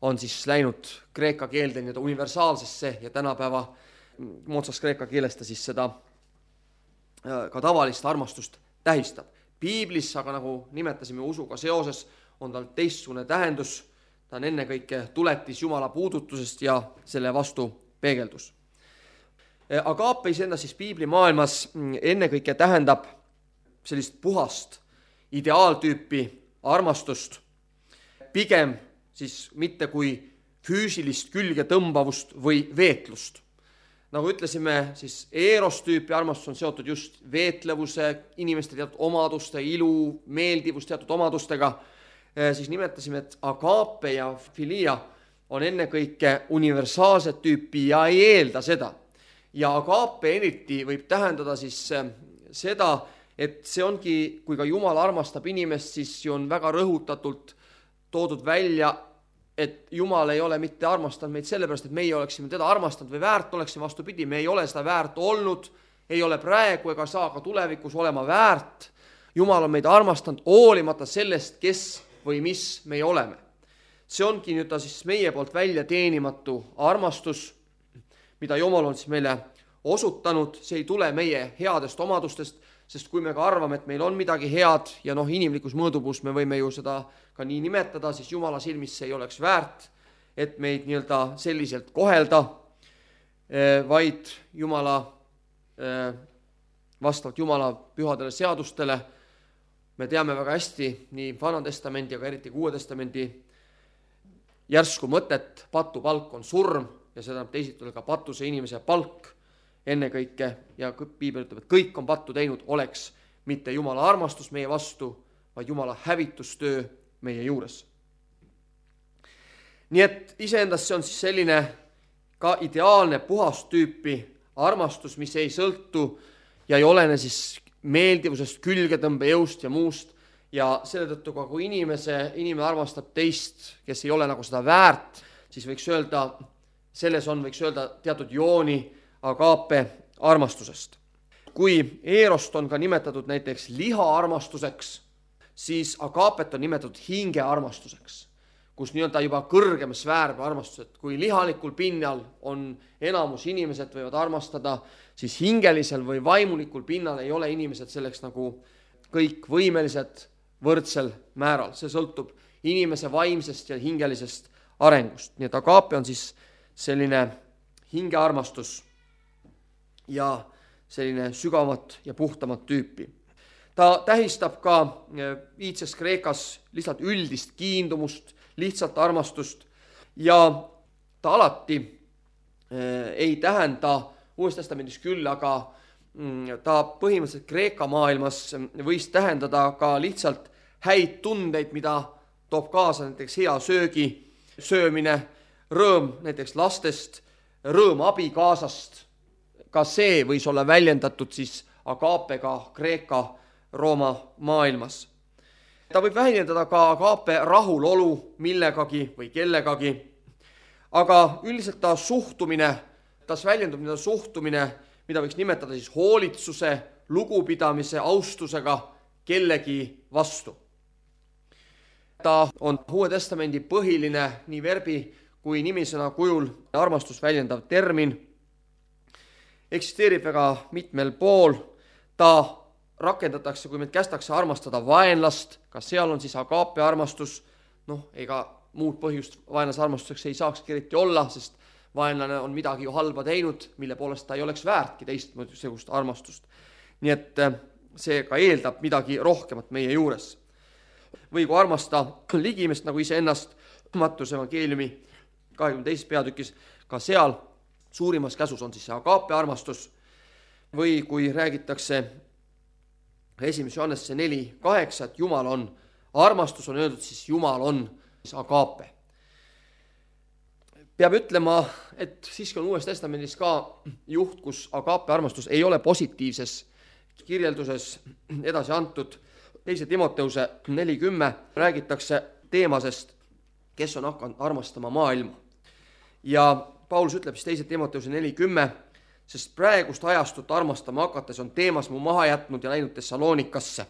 A: on siis läinud kreeka keelde nii-öelda universaalsesse ja tänapäeva moodsas kreeka keeles ta siis seda ka tavalist armastust tähistab. piiblis, aga nagu nimetasime usuga seoses, on tal teistsugune tähendus. Ta on ennekõike tuletis Jumala puudutusest ja selle vastu peegeldus. Agape iseenda siis piiblimaailmas ennekõike tähendab sellist puhast ideaaltüüpi armastust, pigem siis mitte kui füüsilist külgetõmbavust või veetlust. Nagu ütlesime, siis eerostüüpi armastus on seotud just veetlevuse, inimeste teatud omaduste, ilu, meeldivus teatud omadustega, siis nimetasime, et agape ja filia on ennekõike universaalset tüüpi ja ei eelda seda. Ja agape eriti võib tähendada siis seda, et see ongi, kui ka Jumal armastab inimest, siis on väga rõhutatult toodud välja, et Jumal ei ole mitte armastanud meid sellepärast, et meie oleksime teda armastanud või väärt oleksime, vastupidi, me ei ole seda väärt olnud, ei ole praegu ega saa ka tulevikus olema väärt. Jumal on meid armastanud hoolimata sellest, kes või mis meie oleme. See ongi nüüd siis meie poolt välja teenimatu armastus, mida Jumal on siis meile osutanud, see ei tule meie headest omadustest, sest kui me ka arvame, et meil on midagi head ja noh, inimlikus mõõdupuus me võime ju seda ka nii nimetada, siis Jumala silmis see ei oleks väärt, et meid nii-öelda selliselt kohelda, vaid Jumala, vastavalt Jumala pühadele seadustele, me teame väga hästi nii Vana Testamendi, aga eriti Uue Testamendi järsku mõtet, patu palk on surm ja seda teisitud ka patuse inimese palk ennekõike ja piibel ütleb, et kõik on pattu teinud, oleks mitte Jumala armastus meie vastu, vaid Jumala hävitustöö meie juures. Nii et iseendas see on siis selline ka ideaalne puhast tüüpi armastus, mis ei sõltu ja ei olene siis meeldivusest, külgetõmbejõust ja muust ja selle tõttu ka kui inimese, inimene armastab teist, kes ei ole nagu seda väärt, siis võiks öelda, selles on, võiks öelda teatud jooni agape armastusest. Kui eerost on ka nimetatud näiteks liha armastuseks, siis agapet on nimetatud hinge armastuseks, kus nii-öelda juba kõrgem sfäär armastused. Kui lihalikul pinnal on enamus inimesed võivad armastada, siis hingelisel või vaimulikul pinnal ei ole inimesed selleks nagu kõik võimelised võrdsel määral. See sõltub inimese vaimsest ja hingelisest arengust. Nii et agape on siis selline hingearmastus ja selline sügavat ja puhtamat tüüpi. Ta tähistab ka iidses Kreekas lihtsalt üldist kiindumust, lihtsalt armastust ja ta alati ei tähenda Uues Testamendis küll, aga ta põhimõtteliselt Kreeka maailmas võis tähendada ka lihtsalt häid tundeid, mida toob kaasa näiteks hea söögi söömine, rõõm näiteks lastest, rõõm abikaasast. Ka see võis olla väljendatud siis agapega Kreeka Rooma maailmas. Ta võib väljendada ka agape rahulolu millegagi või kellegagi, aga üldiselt ta suhtumine, tas väljendub nii suhtumine, mida võiks nimetada siis hoolitsuse, lugupidamise, austusega kellegi vastu. Ta on Uue Testamendi põhiline nii verbi kui nimisõna kujul armastus väljendav termin, eksisteerib väga mitmel pool, ta rakendatakse, kui meid kästakse armastada vaenlast, ka seal on siis agape armastus, noh, ega muud põhjust vaenlase armastuseks ei saakski eriti olla, sest vaenlane on midagi ju halba teinud, mille poolest ta ei oleks väärtki teistmoodi armastust. Nii et see ka eeldab midagi rohkemat meie juures. Või kui armasta ligimest nagu iseennast, Mattuse evangeeliumi kahekümne teises peatükis, ka seal suurimas käsus on siis see agape armastus, või kui räägitakse esimese Johannese neli kaheksa, et Jumal on, armastus on öeldud, siis Jumal on siis agape. Peab ütlema, et siiski on Uues Testamendis ka juht, kus agape armastus ei ole positiivses kirjelduses edasi antud. Teise Timoteuse neli kümme räägitakse teemasest, kes on hakanud armastama maailma. Ja Paulus ütleb siis teise Timoteuse neli kümme, sest praegust ajastut armastama hakates on teemas mu maha jätnud ja läinud Thessalonikasse.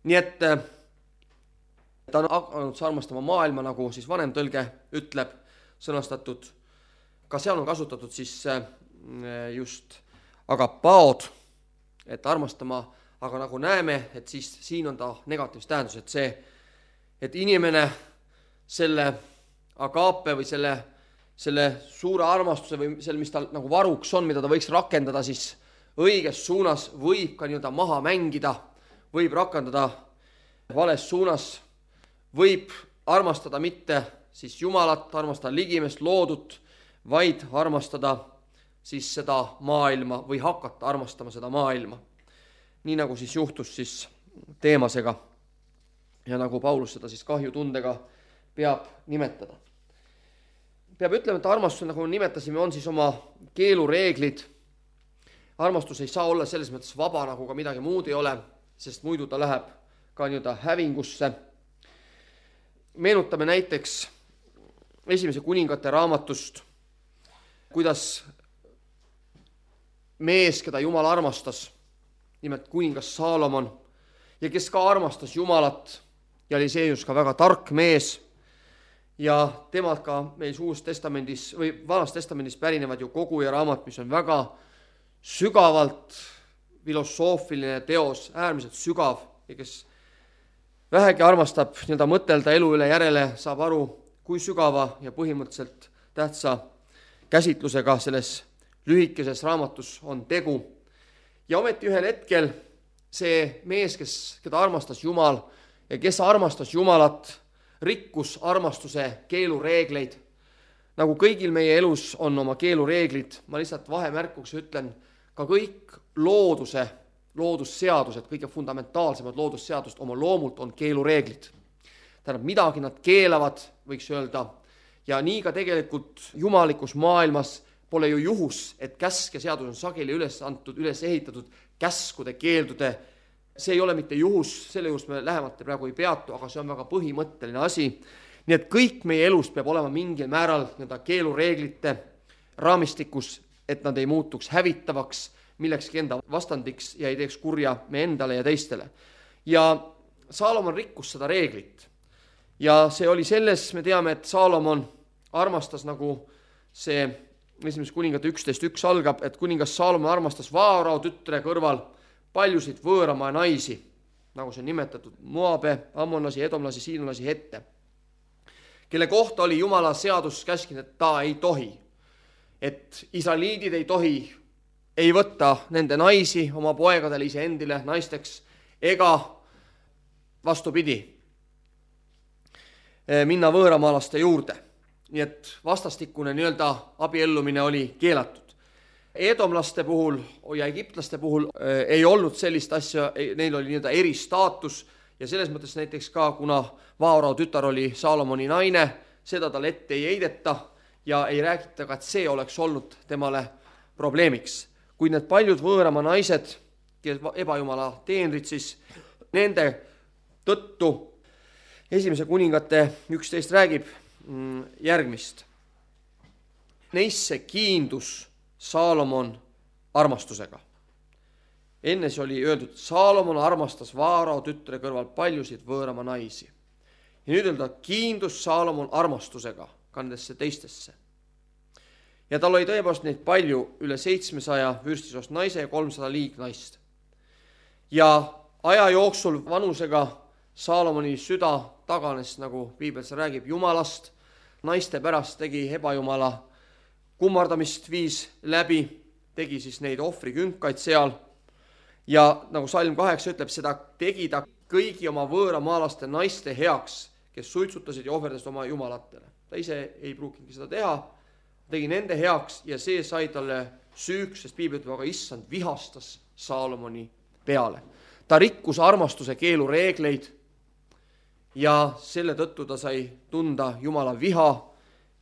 A: Nii et ta on hakanud armastama maailma, nagu siis vanem tõlge ütleb, sõnastatud. Ka seal on kasutatud siis just agapaod, et armastama aga nagu näeme, et siis siin on ta negatiivs tähendus, et see, et inimene selle agaape või selle, selle suure armastuse või selle, mis tal nagu varuks on, mida ta võiks rakendada siis õiges suunas, võib ka nii-öelda maha mängida, võib rakendada vales suunas, võib armastada mitte siis Jumalat, armastada ligimest loodut, vaid armastada siis seda maailma või hakata armastama seda maailma. Nii nagu siis juhtus siis Teemasega ja nagu Paulus seda siis kahjutundega peab nimetada. Peab ütlema, et armastus, nagu nimetasime, on siis oma keelureeglid. Armastus ei saa olla selles mõttes vaba, nagu ka midagi muud ei ole, sest muidu ta läheb ka nii-öelda hävingusse. Meenutame näiteks esimese kuningate raamatust, kuidas mees, keda Jumal armastas, nimelt kuningas Saalomon, ja kes ka armastas Jumalat ja oli seejus ka väga tark mees, ja temalt ka meil Uues testamendis või Vanas testamendis pärinevad ju kogu ja raamat, mis on väga sügavalt filosoofiline teos, äärmiselt sügav, ja kes vähegi armastab nii-öelda mõtelda elu üle järele, saab aru, kui sügava ja põhimõtteliselt tähtsa käsitlusega selles lühikeses raamatus on tegu. Ja ometi ühel hetkel see mees, kes, keda armastas Jumal ja kes armastas Jumalat, rikkus armastuse keelureegleid. Nagu kõigil meie elus on oma keelureeglid, ma lihtsalt vahemärkuks ütlen, ka kõik looduse, loodusseadused, kõige fundamentaalsemad loodusseadused oma loomult on keelureeglid. Tähendab, midagi nad keelavad, võiks öelda, ja nii ka tegelikult jumalikus maailmas pole ju juhus, et käsk ja seadus on sageli üles antud, üles ehitatud käskude, keeldude. See ei ole mitte juhus, selle juures me lähemalt praegu ei peatu, aga see on väga põhimõtteline asi. Nii et kõik meie elus peab olema mingil määral nii-öelda keelureeglite raamistikus, et nad ei muutuks hävitavaks, millekski enda vastandiks ja ei teeks kurja me endale ja teistele. Ja Saalomon rikkus seda reeglit. Ja see oli selles, me teame, et Saalomon armastas, nagu see esimese kuningate üksteist üks algab, et kuningas Saalomon armastas Vaarao tütre kõrval paljusid võõramaa naisi, nagu see on nimetatud, Moabe, ammonlasi, edomlasi, siinolasi, hette, kelle kohta oli Jumala seadus käskinud, et ta ei tohi, et israeliidid ei tohi, ei võtta nende naisi oma poegadele ise endile naisteks, ega vastupidi, minna võõramaalaste juurde. Nii et vastastikune nii-öelda abiellumine oli keelatud. Edomlaste puhul ja egiptlaste puhul äh, ei olnud sellist asja, neil oli nii-öelda eristaatus ja selles mõttes näiteks ka, kuna Vaarao tütar oli Saalomoni naine, seda tal ette ei heideta ja ei räägita ka, et see oleks olnud temale probleemiks. Kuid need paljud võõrama naised, kes ebajumala teenrid, siis nende tõttu esimese kuningate üksteist räägib järgmist. Neisse kiindus Saalomon armastusega. Enne see oli öeldud, Saalomon armastas Vaarao tütre kõrval paljusid võõrama naisi. Ja nüüd öelda, kiindus Saalomon armastusega ka nendesse teistesse. Ja tal oli tõepoolest neid palju, üle seitsmesaja vürstisost naise ja kolmsada liignaist. Ja aja jooksul vanusega Saalomoni süda taganes, nagu piibel räägib, Jumalast, naiste pärast tegi ebajumala kummardamist viis läbi, tegi siis neid ohvrikünkaid seal ja nagu salm kaheksa ütleb, seda tegi ta kõigi oma võõramaalaste naiste heaks, kes suitsutasid ja ohverdasid oma jumalatele. Ta ise ei pruukingi seda teha, tegi nende heaks ja see sai talle süüks, sest piibel ütleb, aga issand vihastas Saalomoni peale. Ta rikkus armastuse keelureegleid ja selle tõttu ta sai tunda Jumala viha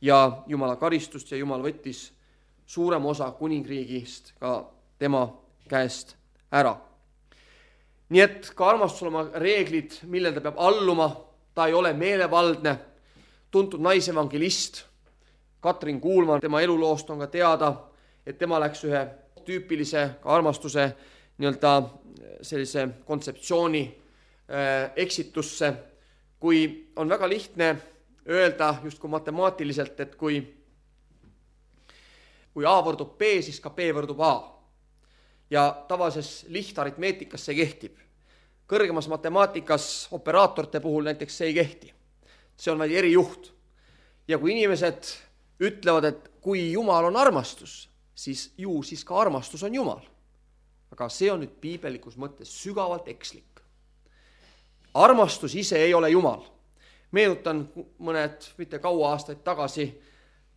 A: ja Jumala karistust ja Jumal võttis suurem osa kuningriigist ka tema käest ära. Nii et ka armastusel oma reeglid, millel ta peab alluma, ta ei ole meelevaldne. Tuntud naisevangelist Katrin Kuulman, tema eluloost on ka teada, et tema läks ühe tüüpilise armastuse nii-öelda sellise kontseptsiooni äh, eksitusse, kui on väga lihtne öelda just kui matemaatiliselt, et kui, kui A võrdub B, siis ka B võrdub A. ja tavalises lihtaritmeetikas see kehtib. Kõrgemas matemaatikas operaatorite puhul näiteks see ei kehti. See on vaid erijuht. Ja kui inimesed ütlevad, et kui Jumal on armastus, siis ju siis ka armastus on Jumal. Aga see on nüüd piibelikus mõttes sügavalt ekslik. Armastus ise ei ole Jumal. Meenutan mõned, mitte kaua aastaid tagasi,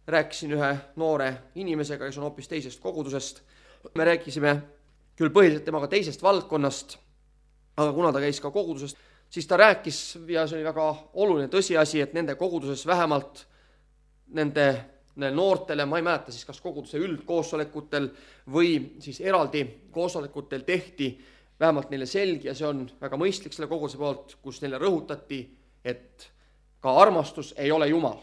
A: rääkisin ühe noore inimesega, kes on hoopis teisest kogudusest. Me rääkisime küll põhiliselt temaga teisest valdkonnast, aga kuna ta käis ka kogudusest, siis ta rääkis, ja see oli väga oluline tõsiasi, et nende koguduses vähemalt nende, nende noortele, ma ei mäleta siis kas koguduse üldkoosolekutel või siis eraldi koosolekutel tehti vähemalt neile selgi, ja see on väga mõistlik selle koguduse poolt, kus neile rõhutati, et ka armastus ei ole Jumal.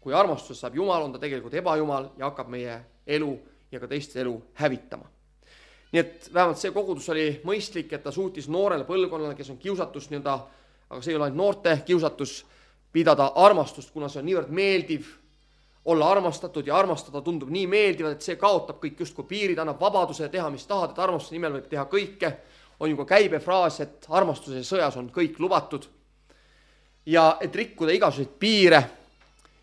A: Kui armastus saab Jumal, on ta tegelikult ebajumal ja hakkab meie elu ja ka teiste elu hävitama. Nii et vähemalt see kogudus oli mõistlik, et ta suutis noorele põlvkonnale, kes on kiusatus nii-öelda, aga see ei ole ainult noorte kiusatus, pidada armastust, kuna see on niivõrd meeldiv olla armastatud ja armastada tundub nii meeldivad, et see kaotab kõik justkui piirid, annab vabaduse teha, mis tahad, et armastuse nimel võib teha kõike. On ju ka käibefraas, et armastuse sõjas on kõik lubatud. Ja et rikkuda igasuguseid piire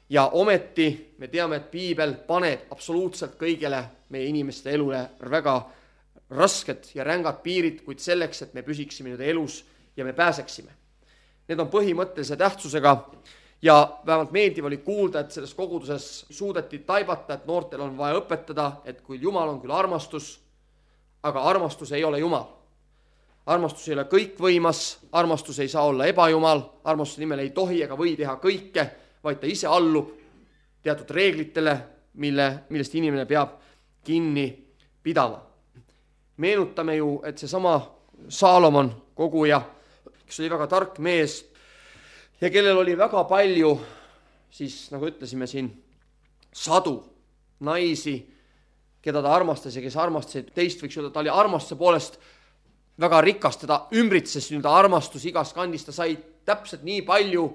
A: ja ometi me teame, et piibel paneb absoluutselt kõigele meie inimeste elule väga rasked ja rängad piirid, kuid selleks, et me püsiksime nüüd elus ja me pääseksime. Need on põhimõttelise tähtsusega ja vähemalt meeldiv oli kuulda, et selles koguduses suudeti taibata, et noortel on vaja õpetada, et kui Jumal on küll armastus, aga armastus ei ole Jumal. Armastus ei ole kõikvõimas, armastus ei saa olla ebajumal, armastuse nimel ei tohi ega või teha kõike, vaid ta ise allub teatud reeglitele, mille, millest inimene peab kinni pidama. Meenutame ju, et see sama Saalomon koguja, kes oli väga tark mees ja kellel oli väga palju, siis nagu ütlesime siin, sadu naisi, keda ta armastas ja kes armastasid teist, võiks öelda, ta oli armastuse poolest väga rikas, teda ümbritses nii-öelda armastus igas kandis, ta sai täpselt nii palju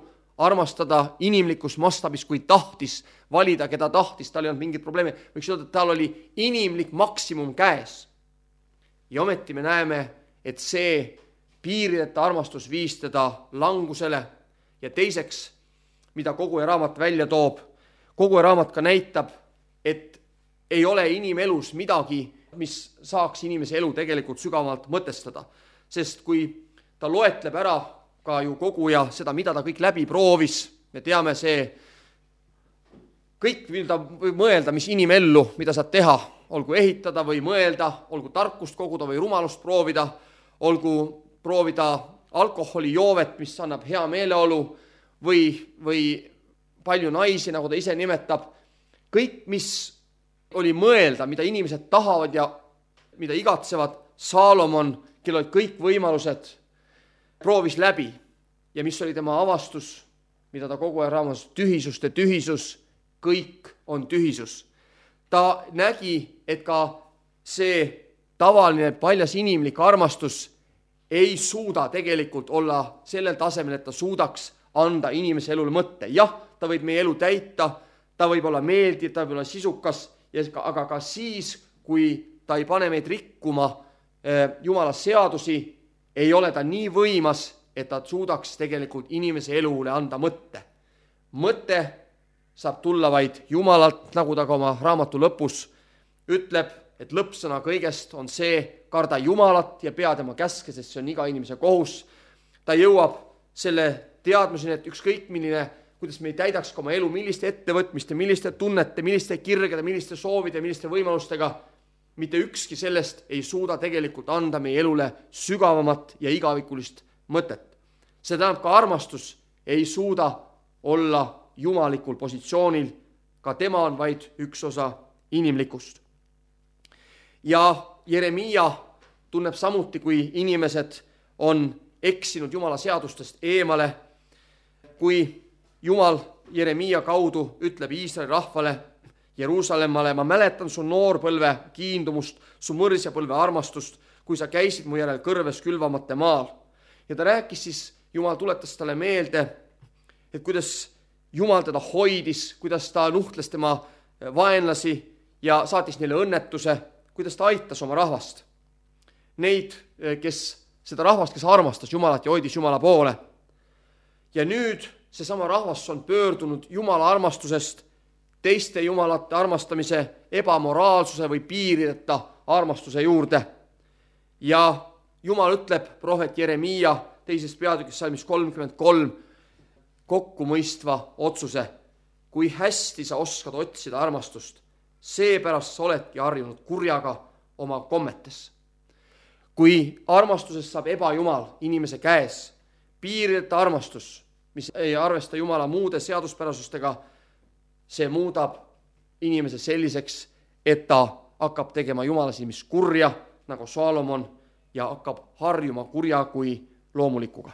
A: armastada inimlikus mastaabis, kui tahtis valida, keda tahtis, tal ei olnud mingit probleemi. Võiks öelda, et tal oli inimlik maksimum käes. Ja ometi me näeme, et see piirideta armastus viis teda langusele ja teiseks, mida kogu raamat välja toob, kogu raamat ka näitab, et ei ole inimelus midagi, mis saaks inimese elu tegelikult sügavalt mõtestada. Sest kui ta loetleb ära ka ju koguja seda, mida ta kõik läbi proovis, me teame see, kõik mida võib mõelda, mis inimellu, mida saad teha, olgu ehitada või mõelda, olgu tarkust koguda või rumalust proovida, olgu proovida alkoholijoovet, mis annab hea meeleolu või, või palju naisi, nagu ta ise nimetab. Kõik, mis oli mõelda, mida inimesed tahavad ja mida igatsevad, Saalomon, kellel olid kõik võimalused, proovis läbi. Ja mis oli tema avastus, mida ta kogu aeg raamas, tühisuste tühisus, kõik on tühisus. Ta nägi, et ka see tavaline paljas inimlik armastus ei suuda tegelikult olla sellel tasemel, et ta suudaks anda inimese elule mõtte. Jah, ta võib meie elu täita, ta võib olla meeldiv, ta võib olla sisukas, aga ka siis, kui ta ei pane meid rikkuma Jumala seadusi, ei ole ta nii võimas, et ta suudaks tegelikult inimese elule anda mõtte. Mõte saab tulla vaid Jumalalt, nagu ta ka oma raamatu lõpus ütleb, et lõppsõna kõigest on see, karda Jumalat ja pea tema käske, sest see on iga inimese kohus. Ta jõuab selle teadmuseni, et ükskõik milline, kuidas me ei täidaks oma elu, milliste ettevõtmiste, milliste tunnete, milliste kirgede, milliste soovide, milliste võimalustega, mitte ükski sellest ei suuda tegelikult anda meie elule sügavamat ja igavikulist mõtet. See tähendab, ka armastus ei suuda olla jumalikul positsioonil, ka tema on vaid üks osa inimlikust. Ja Jeremiia tunneb samuti, kui inimesed on eksinud Jumala seadustest eemale, kui Jumal Jeremiia kaudu ütleb Iisraeli rahvale, Jeruusalemmale, ma mäletan su noorpõlve kiindumust, su mõrsjapõlve armastust, kui sa käisid mu järel kõrves külvamate maal. Ja ta rääkis siis, Jumal tuletas talle meelde, et kuidas Jumal teda hoidis, kuidas ta nuhtles tema vaenlasi ja saatis neile õnnetuse, kuidas ta aitas oma rahvast. neid, kes seda rahvast, kes armastas Jumalat ja hoidis Jumala poole. Ja nüüd seesama rahvas on pöördunud Jumala armastusest teiste jumalate armastamise, ebamoraalsuse või piirideta armastuse juurde. Ja Jumal ütleb prohvet Jeremiia teisest peatükist salmis kolmkümmend kolm kokkumõistva otsuse. Kui hästi sa oskad otsida armastust, seepärast sa oledki harjunud kurjaga oma kommetes. Kui armastusest saab ebajumal inimese käes, piirideta armastus, mis ei arvesta Jumala muude seaduspärasustega, see muudab inimese selliseks, et ta hakkab tegema Jumala silmis kurja, nagu Saalomon, ja hakkab harjuma kurja kui loomulikuga.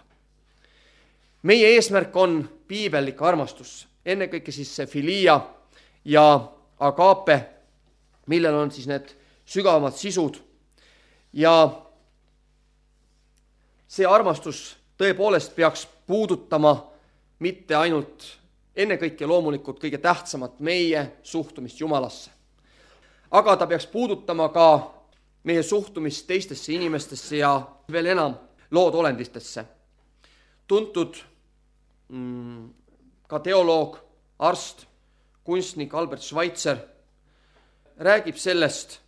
A: Meie eesmärk on piibellik armastus, ennekõike siis see filia ja agape, millel on siis need sügavamad sisud. Ja see armastus tõepoolest peaks puudutama mitte ainult ennekõike loomulikult kõige tähtsamat meie suhtumist Jumalasse. Aga ta peaks puudutama ka meie suhtumist teistesse inimestesse ja veel enam loodolendistesse. Tuntud mm, ka teoloog, arst, kunstnik Albert Schweitzer räägib sellest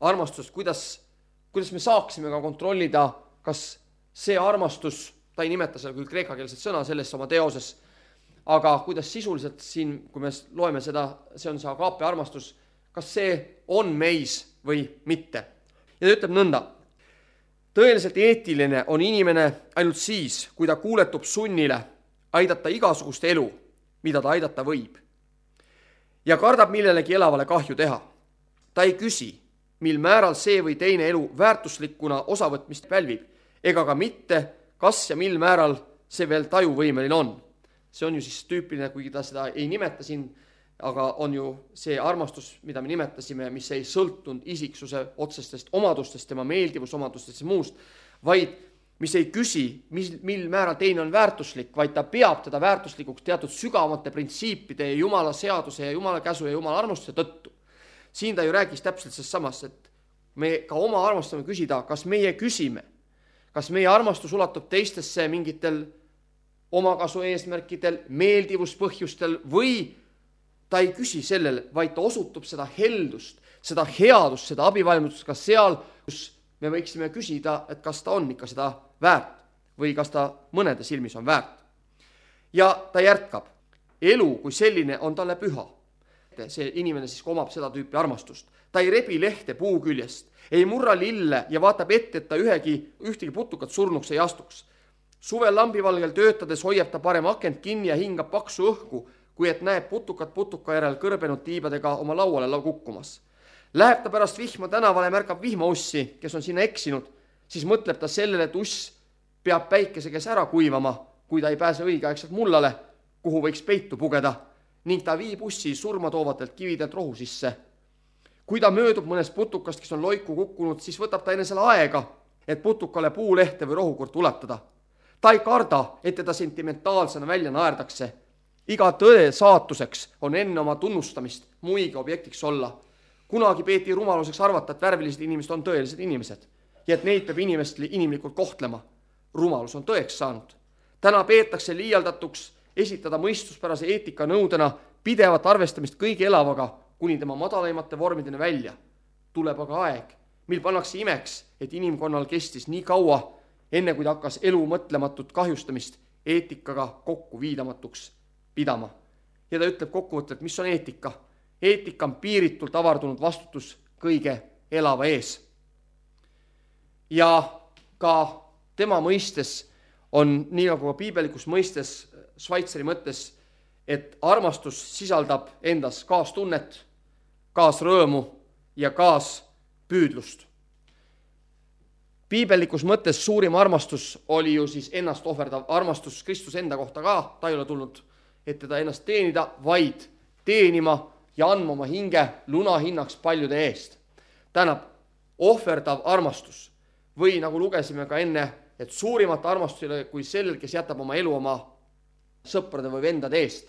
A: armastust, kuidas, kuidas me saaksime ka kontrollida, kas see armastus, ta ei nimeta seda küll kreekakeelset sõna selles oma teoses, aga kuidas sisuliselt siin, kui me loeme seda, see on see agape armastus, kas see on meis või mitte. Ja ta ütleb nõnda, tõeliselt eetiline on inimene ainult siis, kui ta kuuletub sunnile aidata igasugust elu, mida ta aidata võib. Ja kardab millelegi elavale kahju teha. Ta ei küsi, mil määral see või teine elu väärtuslikuna osavõtmist pälvib, ega ka mitte, kas ja mil määral see veel tajuvõimeline on. See on ju siis tüüpiline, kuigi ta seda ei nimeta siin, aga on ju see armastus, mida me nimetasime, mis ei sõltunud isiksuse otsestest omadustest, tema meeldivusomadustest ja muust, vaid mis ei küsi, mis, mil määral teine on väärtuslik, vaid ta peab teda väärtuslikuks teatud sügavamate printsiipide ja Jumala seaduse ja Jumala käsu ja Jumala armastuse tõttu. Siin ta ju räägis täpselt sellest samast, et me ka oma armastame küsida, kas meie küsime, kas meie armastus ulatub teistesse mingitel omakasu eesmärkidel, meeldivuspõhjustel või ta ei küsi sellele, vaid ta osutub seda heldust, seda headust, seda abivalmidust ka seal, kus me võiksime küsida, et kas ta on ikka seda väärt või kas ta mõnede silmis on väärt. Ja ta jätkab, elu kui selline on talle püha. See inimene siis omab seda tüüpi armastust. Ta ei rebi lehte puu küljest, ei murra lille ja vaatab ette, et ta ühegi, ühtegi putukat surnuks ei astuks. Suvel lambivalgel töötades hoiab ta parem akent kinni ja hingab paksu õhku, kui et näeb putukat putuka järel kõrbenud tiibadega oma lauale lau kukkumas. Läheb ta pärast vihma tänavale ja märkab vihmaussi, kes on sinna eksinud, siis mõtleb ta sellele, et uss peab päikese käes ära kuivama, kui ta ei pääse õigeaegselt mullale, kuhu võiks peitu pugeda, ning ta viib ussi surmatoovatelt kividelt rohu sisse. Kui ta möödub mõnest putukast, kes on loiku kukkunud, siis võtab ta enne selle aega, et putukale puulehte või rohukurt ulatada. Ta ei karda, et teda sentimentaalsena välja naerdakse. Iga tõe saatuseks on enne oma tunnustamist muiga objektiks olla. Kunagi peeti rumaluseks arvata, et värvilised inimesed on tõelised inimesed ja et neid peab inimest inimlikult kohtlema. Rumalus on tõeks saanud. Täna peetakse liialdatuks esitada mõistuspärase eetika nõudena pidevat arvestamist kõige elavaga kuni tema madalaimate vormideni välja. Tuleb aga aeg, mil pannakse imeks, et inimkonnal kestis nii kaua, enne kui ta hakkas elu mõtlematut kahjustamist eetikaga kokku viidamatuks pidama. Ja ta ütleb kokkuvõttelt, mis on eetika. Eetika on piiritult avardunud vastutus kõige elava ees. Ja ka tema mõistes on, nii nagu ka piibelikus mõistes, Schweitzeri mõttes, et armastus sisaldab endas kaastunnet, kaasrõõmu ja kaaspüüdlust. Piibelikus mõttes suurim armastus oli ju siis ennast ohverdav armastus Kristus enda kohta ka. Ta ei ole tulnud, et teda ennast teenida, vaid teenima ja andma oma hinge lunahinnaks paljude eest. Tähendab, ohverdav armastus või nagu lugesime ka enne, et suurimat armastus ei ole kui sellel, kes jätab oma elu oma sõprade või vendade eest.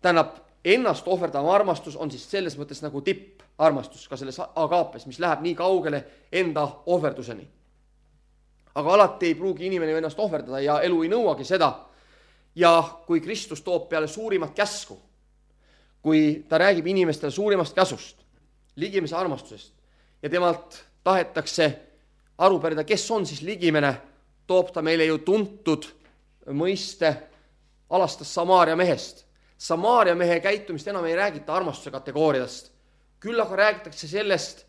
A: Tähendab, ennast ohverdav armastus on siis selles mõttes nagu tipparmastus ka selles agaapes, mis läheb nii kaugele enda ohverduseni. Aga alati ei pruugi inimene ennast ohverdada ja elu ei nõuagi seda. Ja kui Kristus toob peale suurimat käsku, kui ta räägib inimestele suurimast käsust, ligimise armastusest ja temalt tahetakse aru pärida, kes on siis ligimene, toob ta meile ju tuntud mõiste alastas Samaaria mehest. Samaaria mehe käitumist enam ei räägita armastuse kategooriast. Küll aga räägitakse sellest,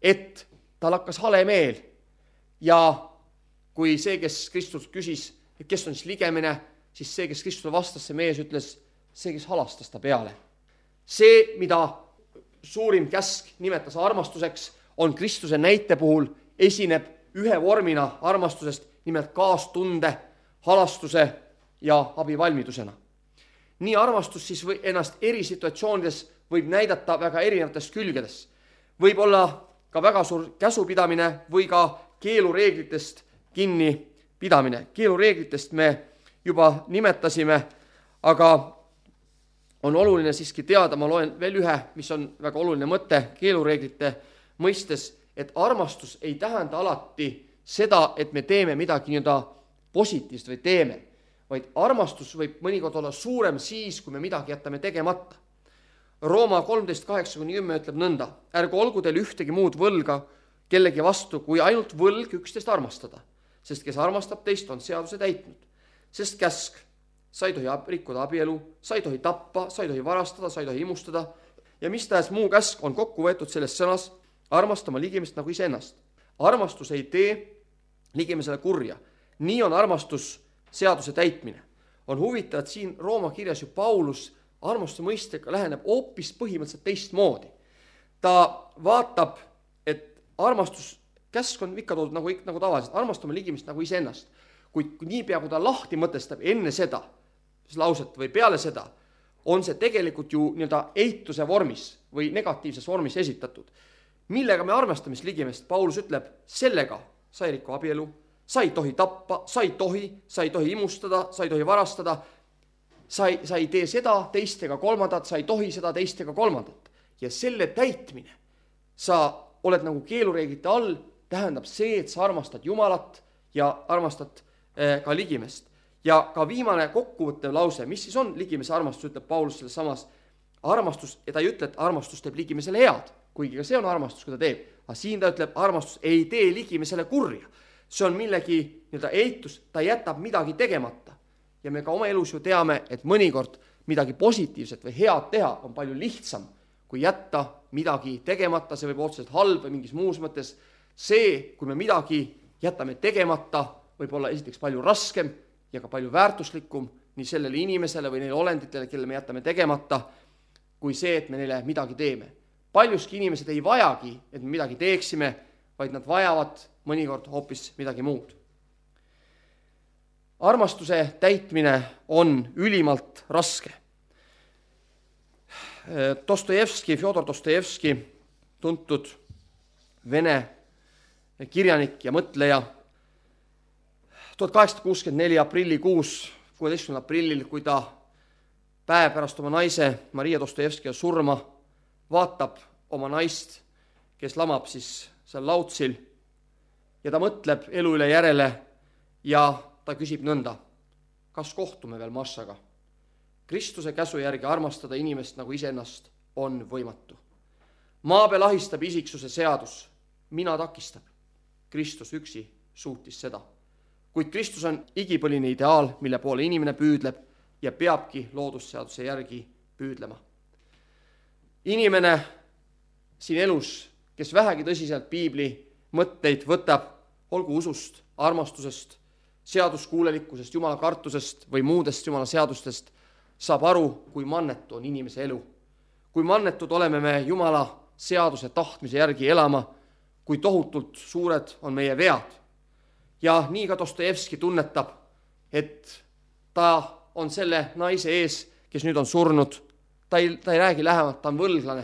A: et tal hakkas hale meel ja kui see, kes Kristus küsis, et kes on siis ligemine, siis see, kes Kristuse vastas, see mees ütles, see, kes halastas ta peale. See, mida suurim käsk nimetas armastuseks, on Kristuse näite puhul esineb ühe vormina armastusest, nimelt kaastunde, halastuse ja abivalmidusena. Nii armastus siis või ennast eri situatsioonides võib näidata väga erinevates külgedes. Võib olla ka väga suur käsupidamine või ka keelureeglitest kinni pidamine. Keelureeglitest me juba nimetasime, aga on oluline siiski teada, ma loen veel ühe, mis on väga oluline mõte keelureeglite mõistes, et armastus ei tähenda alati seda, et me teeme midagi nii-öelda positiivset või teeme, vaid armastus võib mõnikord olla suurem siis, kui me midagi jätame tegemata. Rooma kolmteist kaheksa kuni kümme ütleb nõnda, ärgu olgu teil ühtegi muud võlga kellegi vastu, kui ainult võlg üksteist armastada, sest kes armastab teist, on seaduse täitnud. Sest käsk, sa ei tohi rikkuda abielu, sa ei tohi tappa, sa ei tohi varastada, sa ei tohi imustada ja mis tahes muu käsk on kokku võetud selles sõnas, armastama ligimest nagu iseennast. Armastus ei tee ligimisele kurja. Nii on armastus seaduse täitmine. On huvitav, et siin Rooma kirjas ju Paulus armastuse mõistega läheneb hoopis põhimõtteliselt teistmoodi. Ta vaatab, et armastus, käsk on ikka toodud nagu, nagu tavaliselt, armastama ligimist nagu iseennast. Kuid niipea, kui ta lahti mõtestab enne seda, lauset või peale seda, on see tegelikult ju nii-öelda eituse vormis või negatiivses vormis esitatud. Millega me armastame ligimest? Paulus ütleb, sellega sa ei riku abielu, sa ei tohi tappa, sa ei tohi, sa ei tohi imustada, sa ei tohi varastada, sa ei, sa ei tee seda, teist ega kolmandat, sa ei tohi seda, teist ega kolmandat. Ja selle täitmine, sa oled nagu keelureeglite all, tähendab see, et sa armastad Jumalat ja armastad eh, ka ligimest. Ja ka viimane kokkuvõttev lause, mis siis on ligimese armastus, ütleb Paulus selles samas armastus, ja ta ei ütle, et armastus teeb ligimesele head, kuigi ka see on armastus, kui ta teeb. Aga siin ta ütleb, armastus ei tee ligimesele kurja. See on millegi nii-öelda eitus, ta jätab midagi tegemata. Ja me ka oma elus ju teame, et mõnikord midagi positiivset või head teha on palju lihtsam, kui jätta midagi tegemata, see võib otseselt halb või mingis muus mõttes. See, kui me midagi jätame tegemata, võib olla esiteks palju raskem ja ka palju väärtuslikum nii sellele inimesele või neile olenditele, kelle me jätame tegemata, kui see, et me neile midagi teeme. Paljuski inimesed ei vajagi, et me midagi teeksime, vaid nad vajavad mõnikord hoopis midagi muud. Armastuse täitmine on ülimalt raske. Dostojevski, Fjodor Dostojevski, tuntud vene kirjanik ja mõtleja, tuhat kaheksasada kuuskümmend neli aprillikuus, kuueteistkümnendal aprillil, kui ta päev pärast oma naise Maria Dostojevski surma vaatab oma naist, kes lamab siis seal lautsil ja ta mõtleb elu üle järele ja ta küsib nõnda, kas kohtume veel Massaga? Kristuse käsu järgi armastada inimest nagu iseennast on võimatu. Maa peal ahistab isiksuse seadus, mina takistab. Kristus üksi suutis seda. Kuid Kristus on igipõline ideaal, mille poole inimene püüdleb ja peabki loodusseaduse järgi püüdlema. Inimene siin elus, kes vähegi tõsiselt piibli mõtteid võtab, olgu usust, armastusest, seaduskuulelikkusest, Jumala kartusest või muudest Jumala seadustest, saab aru, kui mannetu on inimese elu. Kui mannetud oleme me Jumala seaduse tahtmise järgi elama, kui tohutult suured on meie vead. Ja nii ka Dostojevski tunnetab, et ta on selle naise ees, kes nüüd on surnud. Ta ei, ta ei räägi lähemalt, ta on võlglane.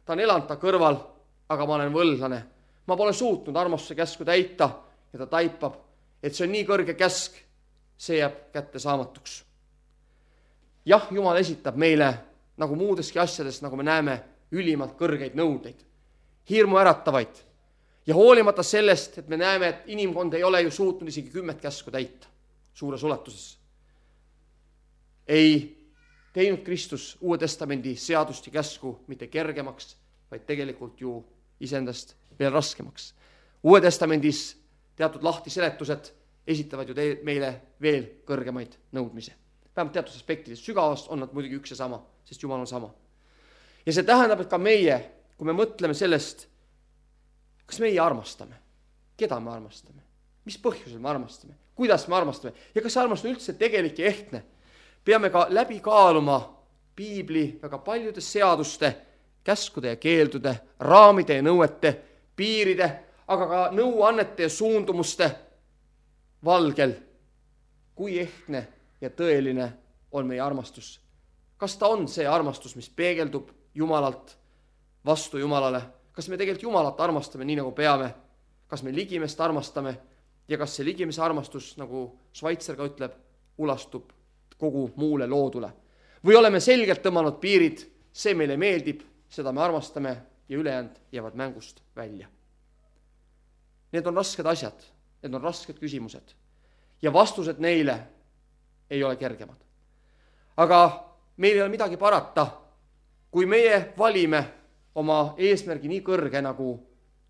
A: Ta on elanud ta kõrval, aga ma olen võlglane. Ma pole suutnud armastuse käsku täita ja ta taipab, et see on nii kõrge käsk, see jääb kätte saamatuks. Jah, Jumal esitab meile nagu muudeski asjades, nagu me näeme, ülimalt kõrgeid nõudeid, hirmu äratavaid. Ja hoolimata sellest, et me näeme, et inimkond ei ole ju suutnud isegi kümmet käsku täita suures ulatuses, ei teinud Kristus Uue Testamendi seadust ja käsku mitte kergemaks, vaid tegelikult ju iseendast veel raskemaks. Uue Testamendis teatud lahtiseletused esitavad ju te- meile veel kõrgemaid nõudmisi. Vähemalt teatud aspektides sügavast on nad muidugi üks ja sama, sest Jumal on sama. Ja see tähendab, et ka meie, kui me mõtleme sellest, kas meie armastame, keda me armastame, mis põhjusel me armastame, kuidas me armastame ja kas see armastus on üldse tegelik ja ehtne, peame ka läbi kaaluma piibli väga paljude seaduste, käskude ja keeldude, raamide ja nõuete, piiride, aga ka nõuannete ja suundumuste valgel, kui ehtne ja tõeline on meie armastus. Kas ta on see armastus, mis peegeldub Jumalalt vastu Jumalale? Kas me tegelikult Jumalat armastame nii, nagu peame? Kas me ligimest armastame? Ja kas see ligimese armastus, nagu Schweitzer ka ütleb, ulastub kogu muule loodule? Või oleme selgelt tõmmanud piirid, see meile meeldib, seda me armastame ja ülejäänud jäävad mängust välja. Need on rasked asjad, need on rasked küsimused ja vastused neile ei ole kergemad. Aga meil ei ole midagi parata, kui meie valime oma eesmärgi nii kõrge nagu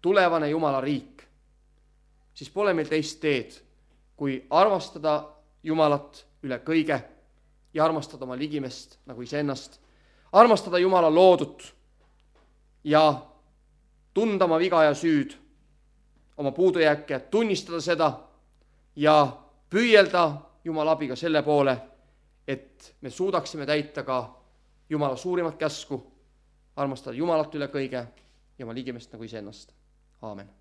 A: tulevane Jumala riik, siis pole meil teist teed, kui armastada Jumalat üle kõige ja armastada oma ligimest nagu iseennast, armastada Jumala loodut ja tunda oma viga ja süüd, oma puudujääke, tunnistada seda ja püüelda Jumala abiga selle poole, et me suudaksime täita ka Jumala suurimat käsku, armastada Jumalat üle kõige ja oma ligimest nagu iseennast. Aamen.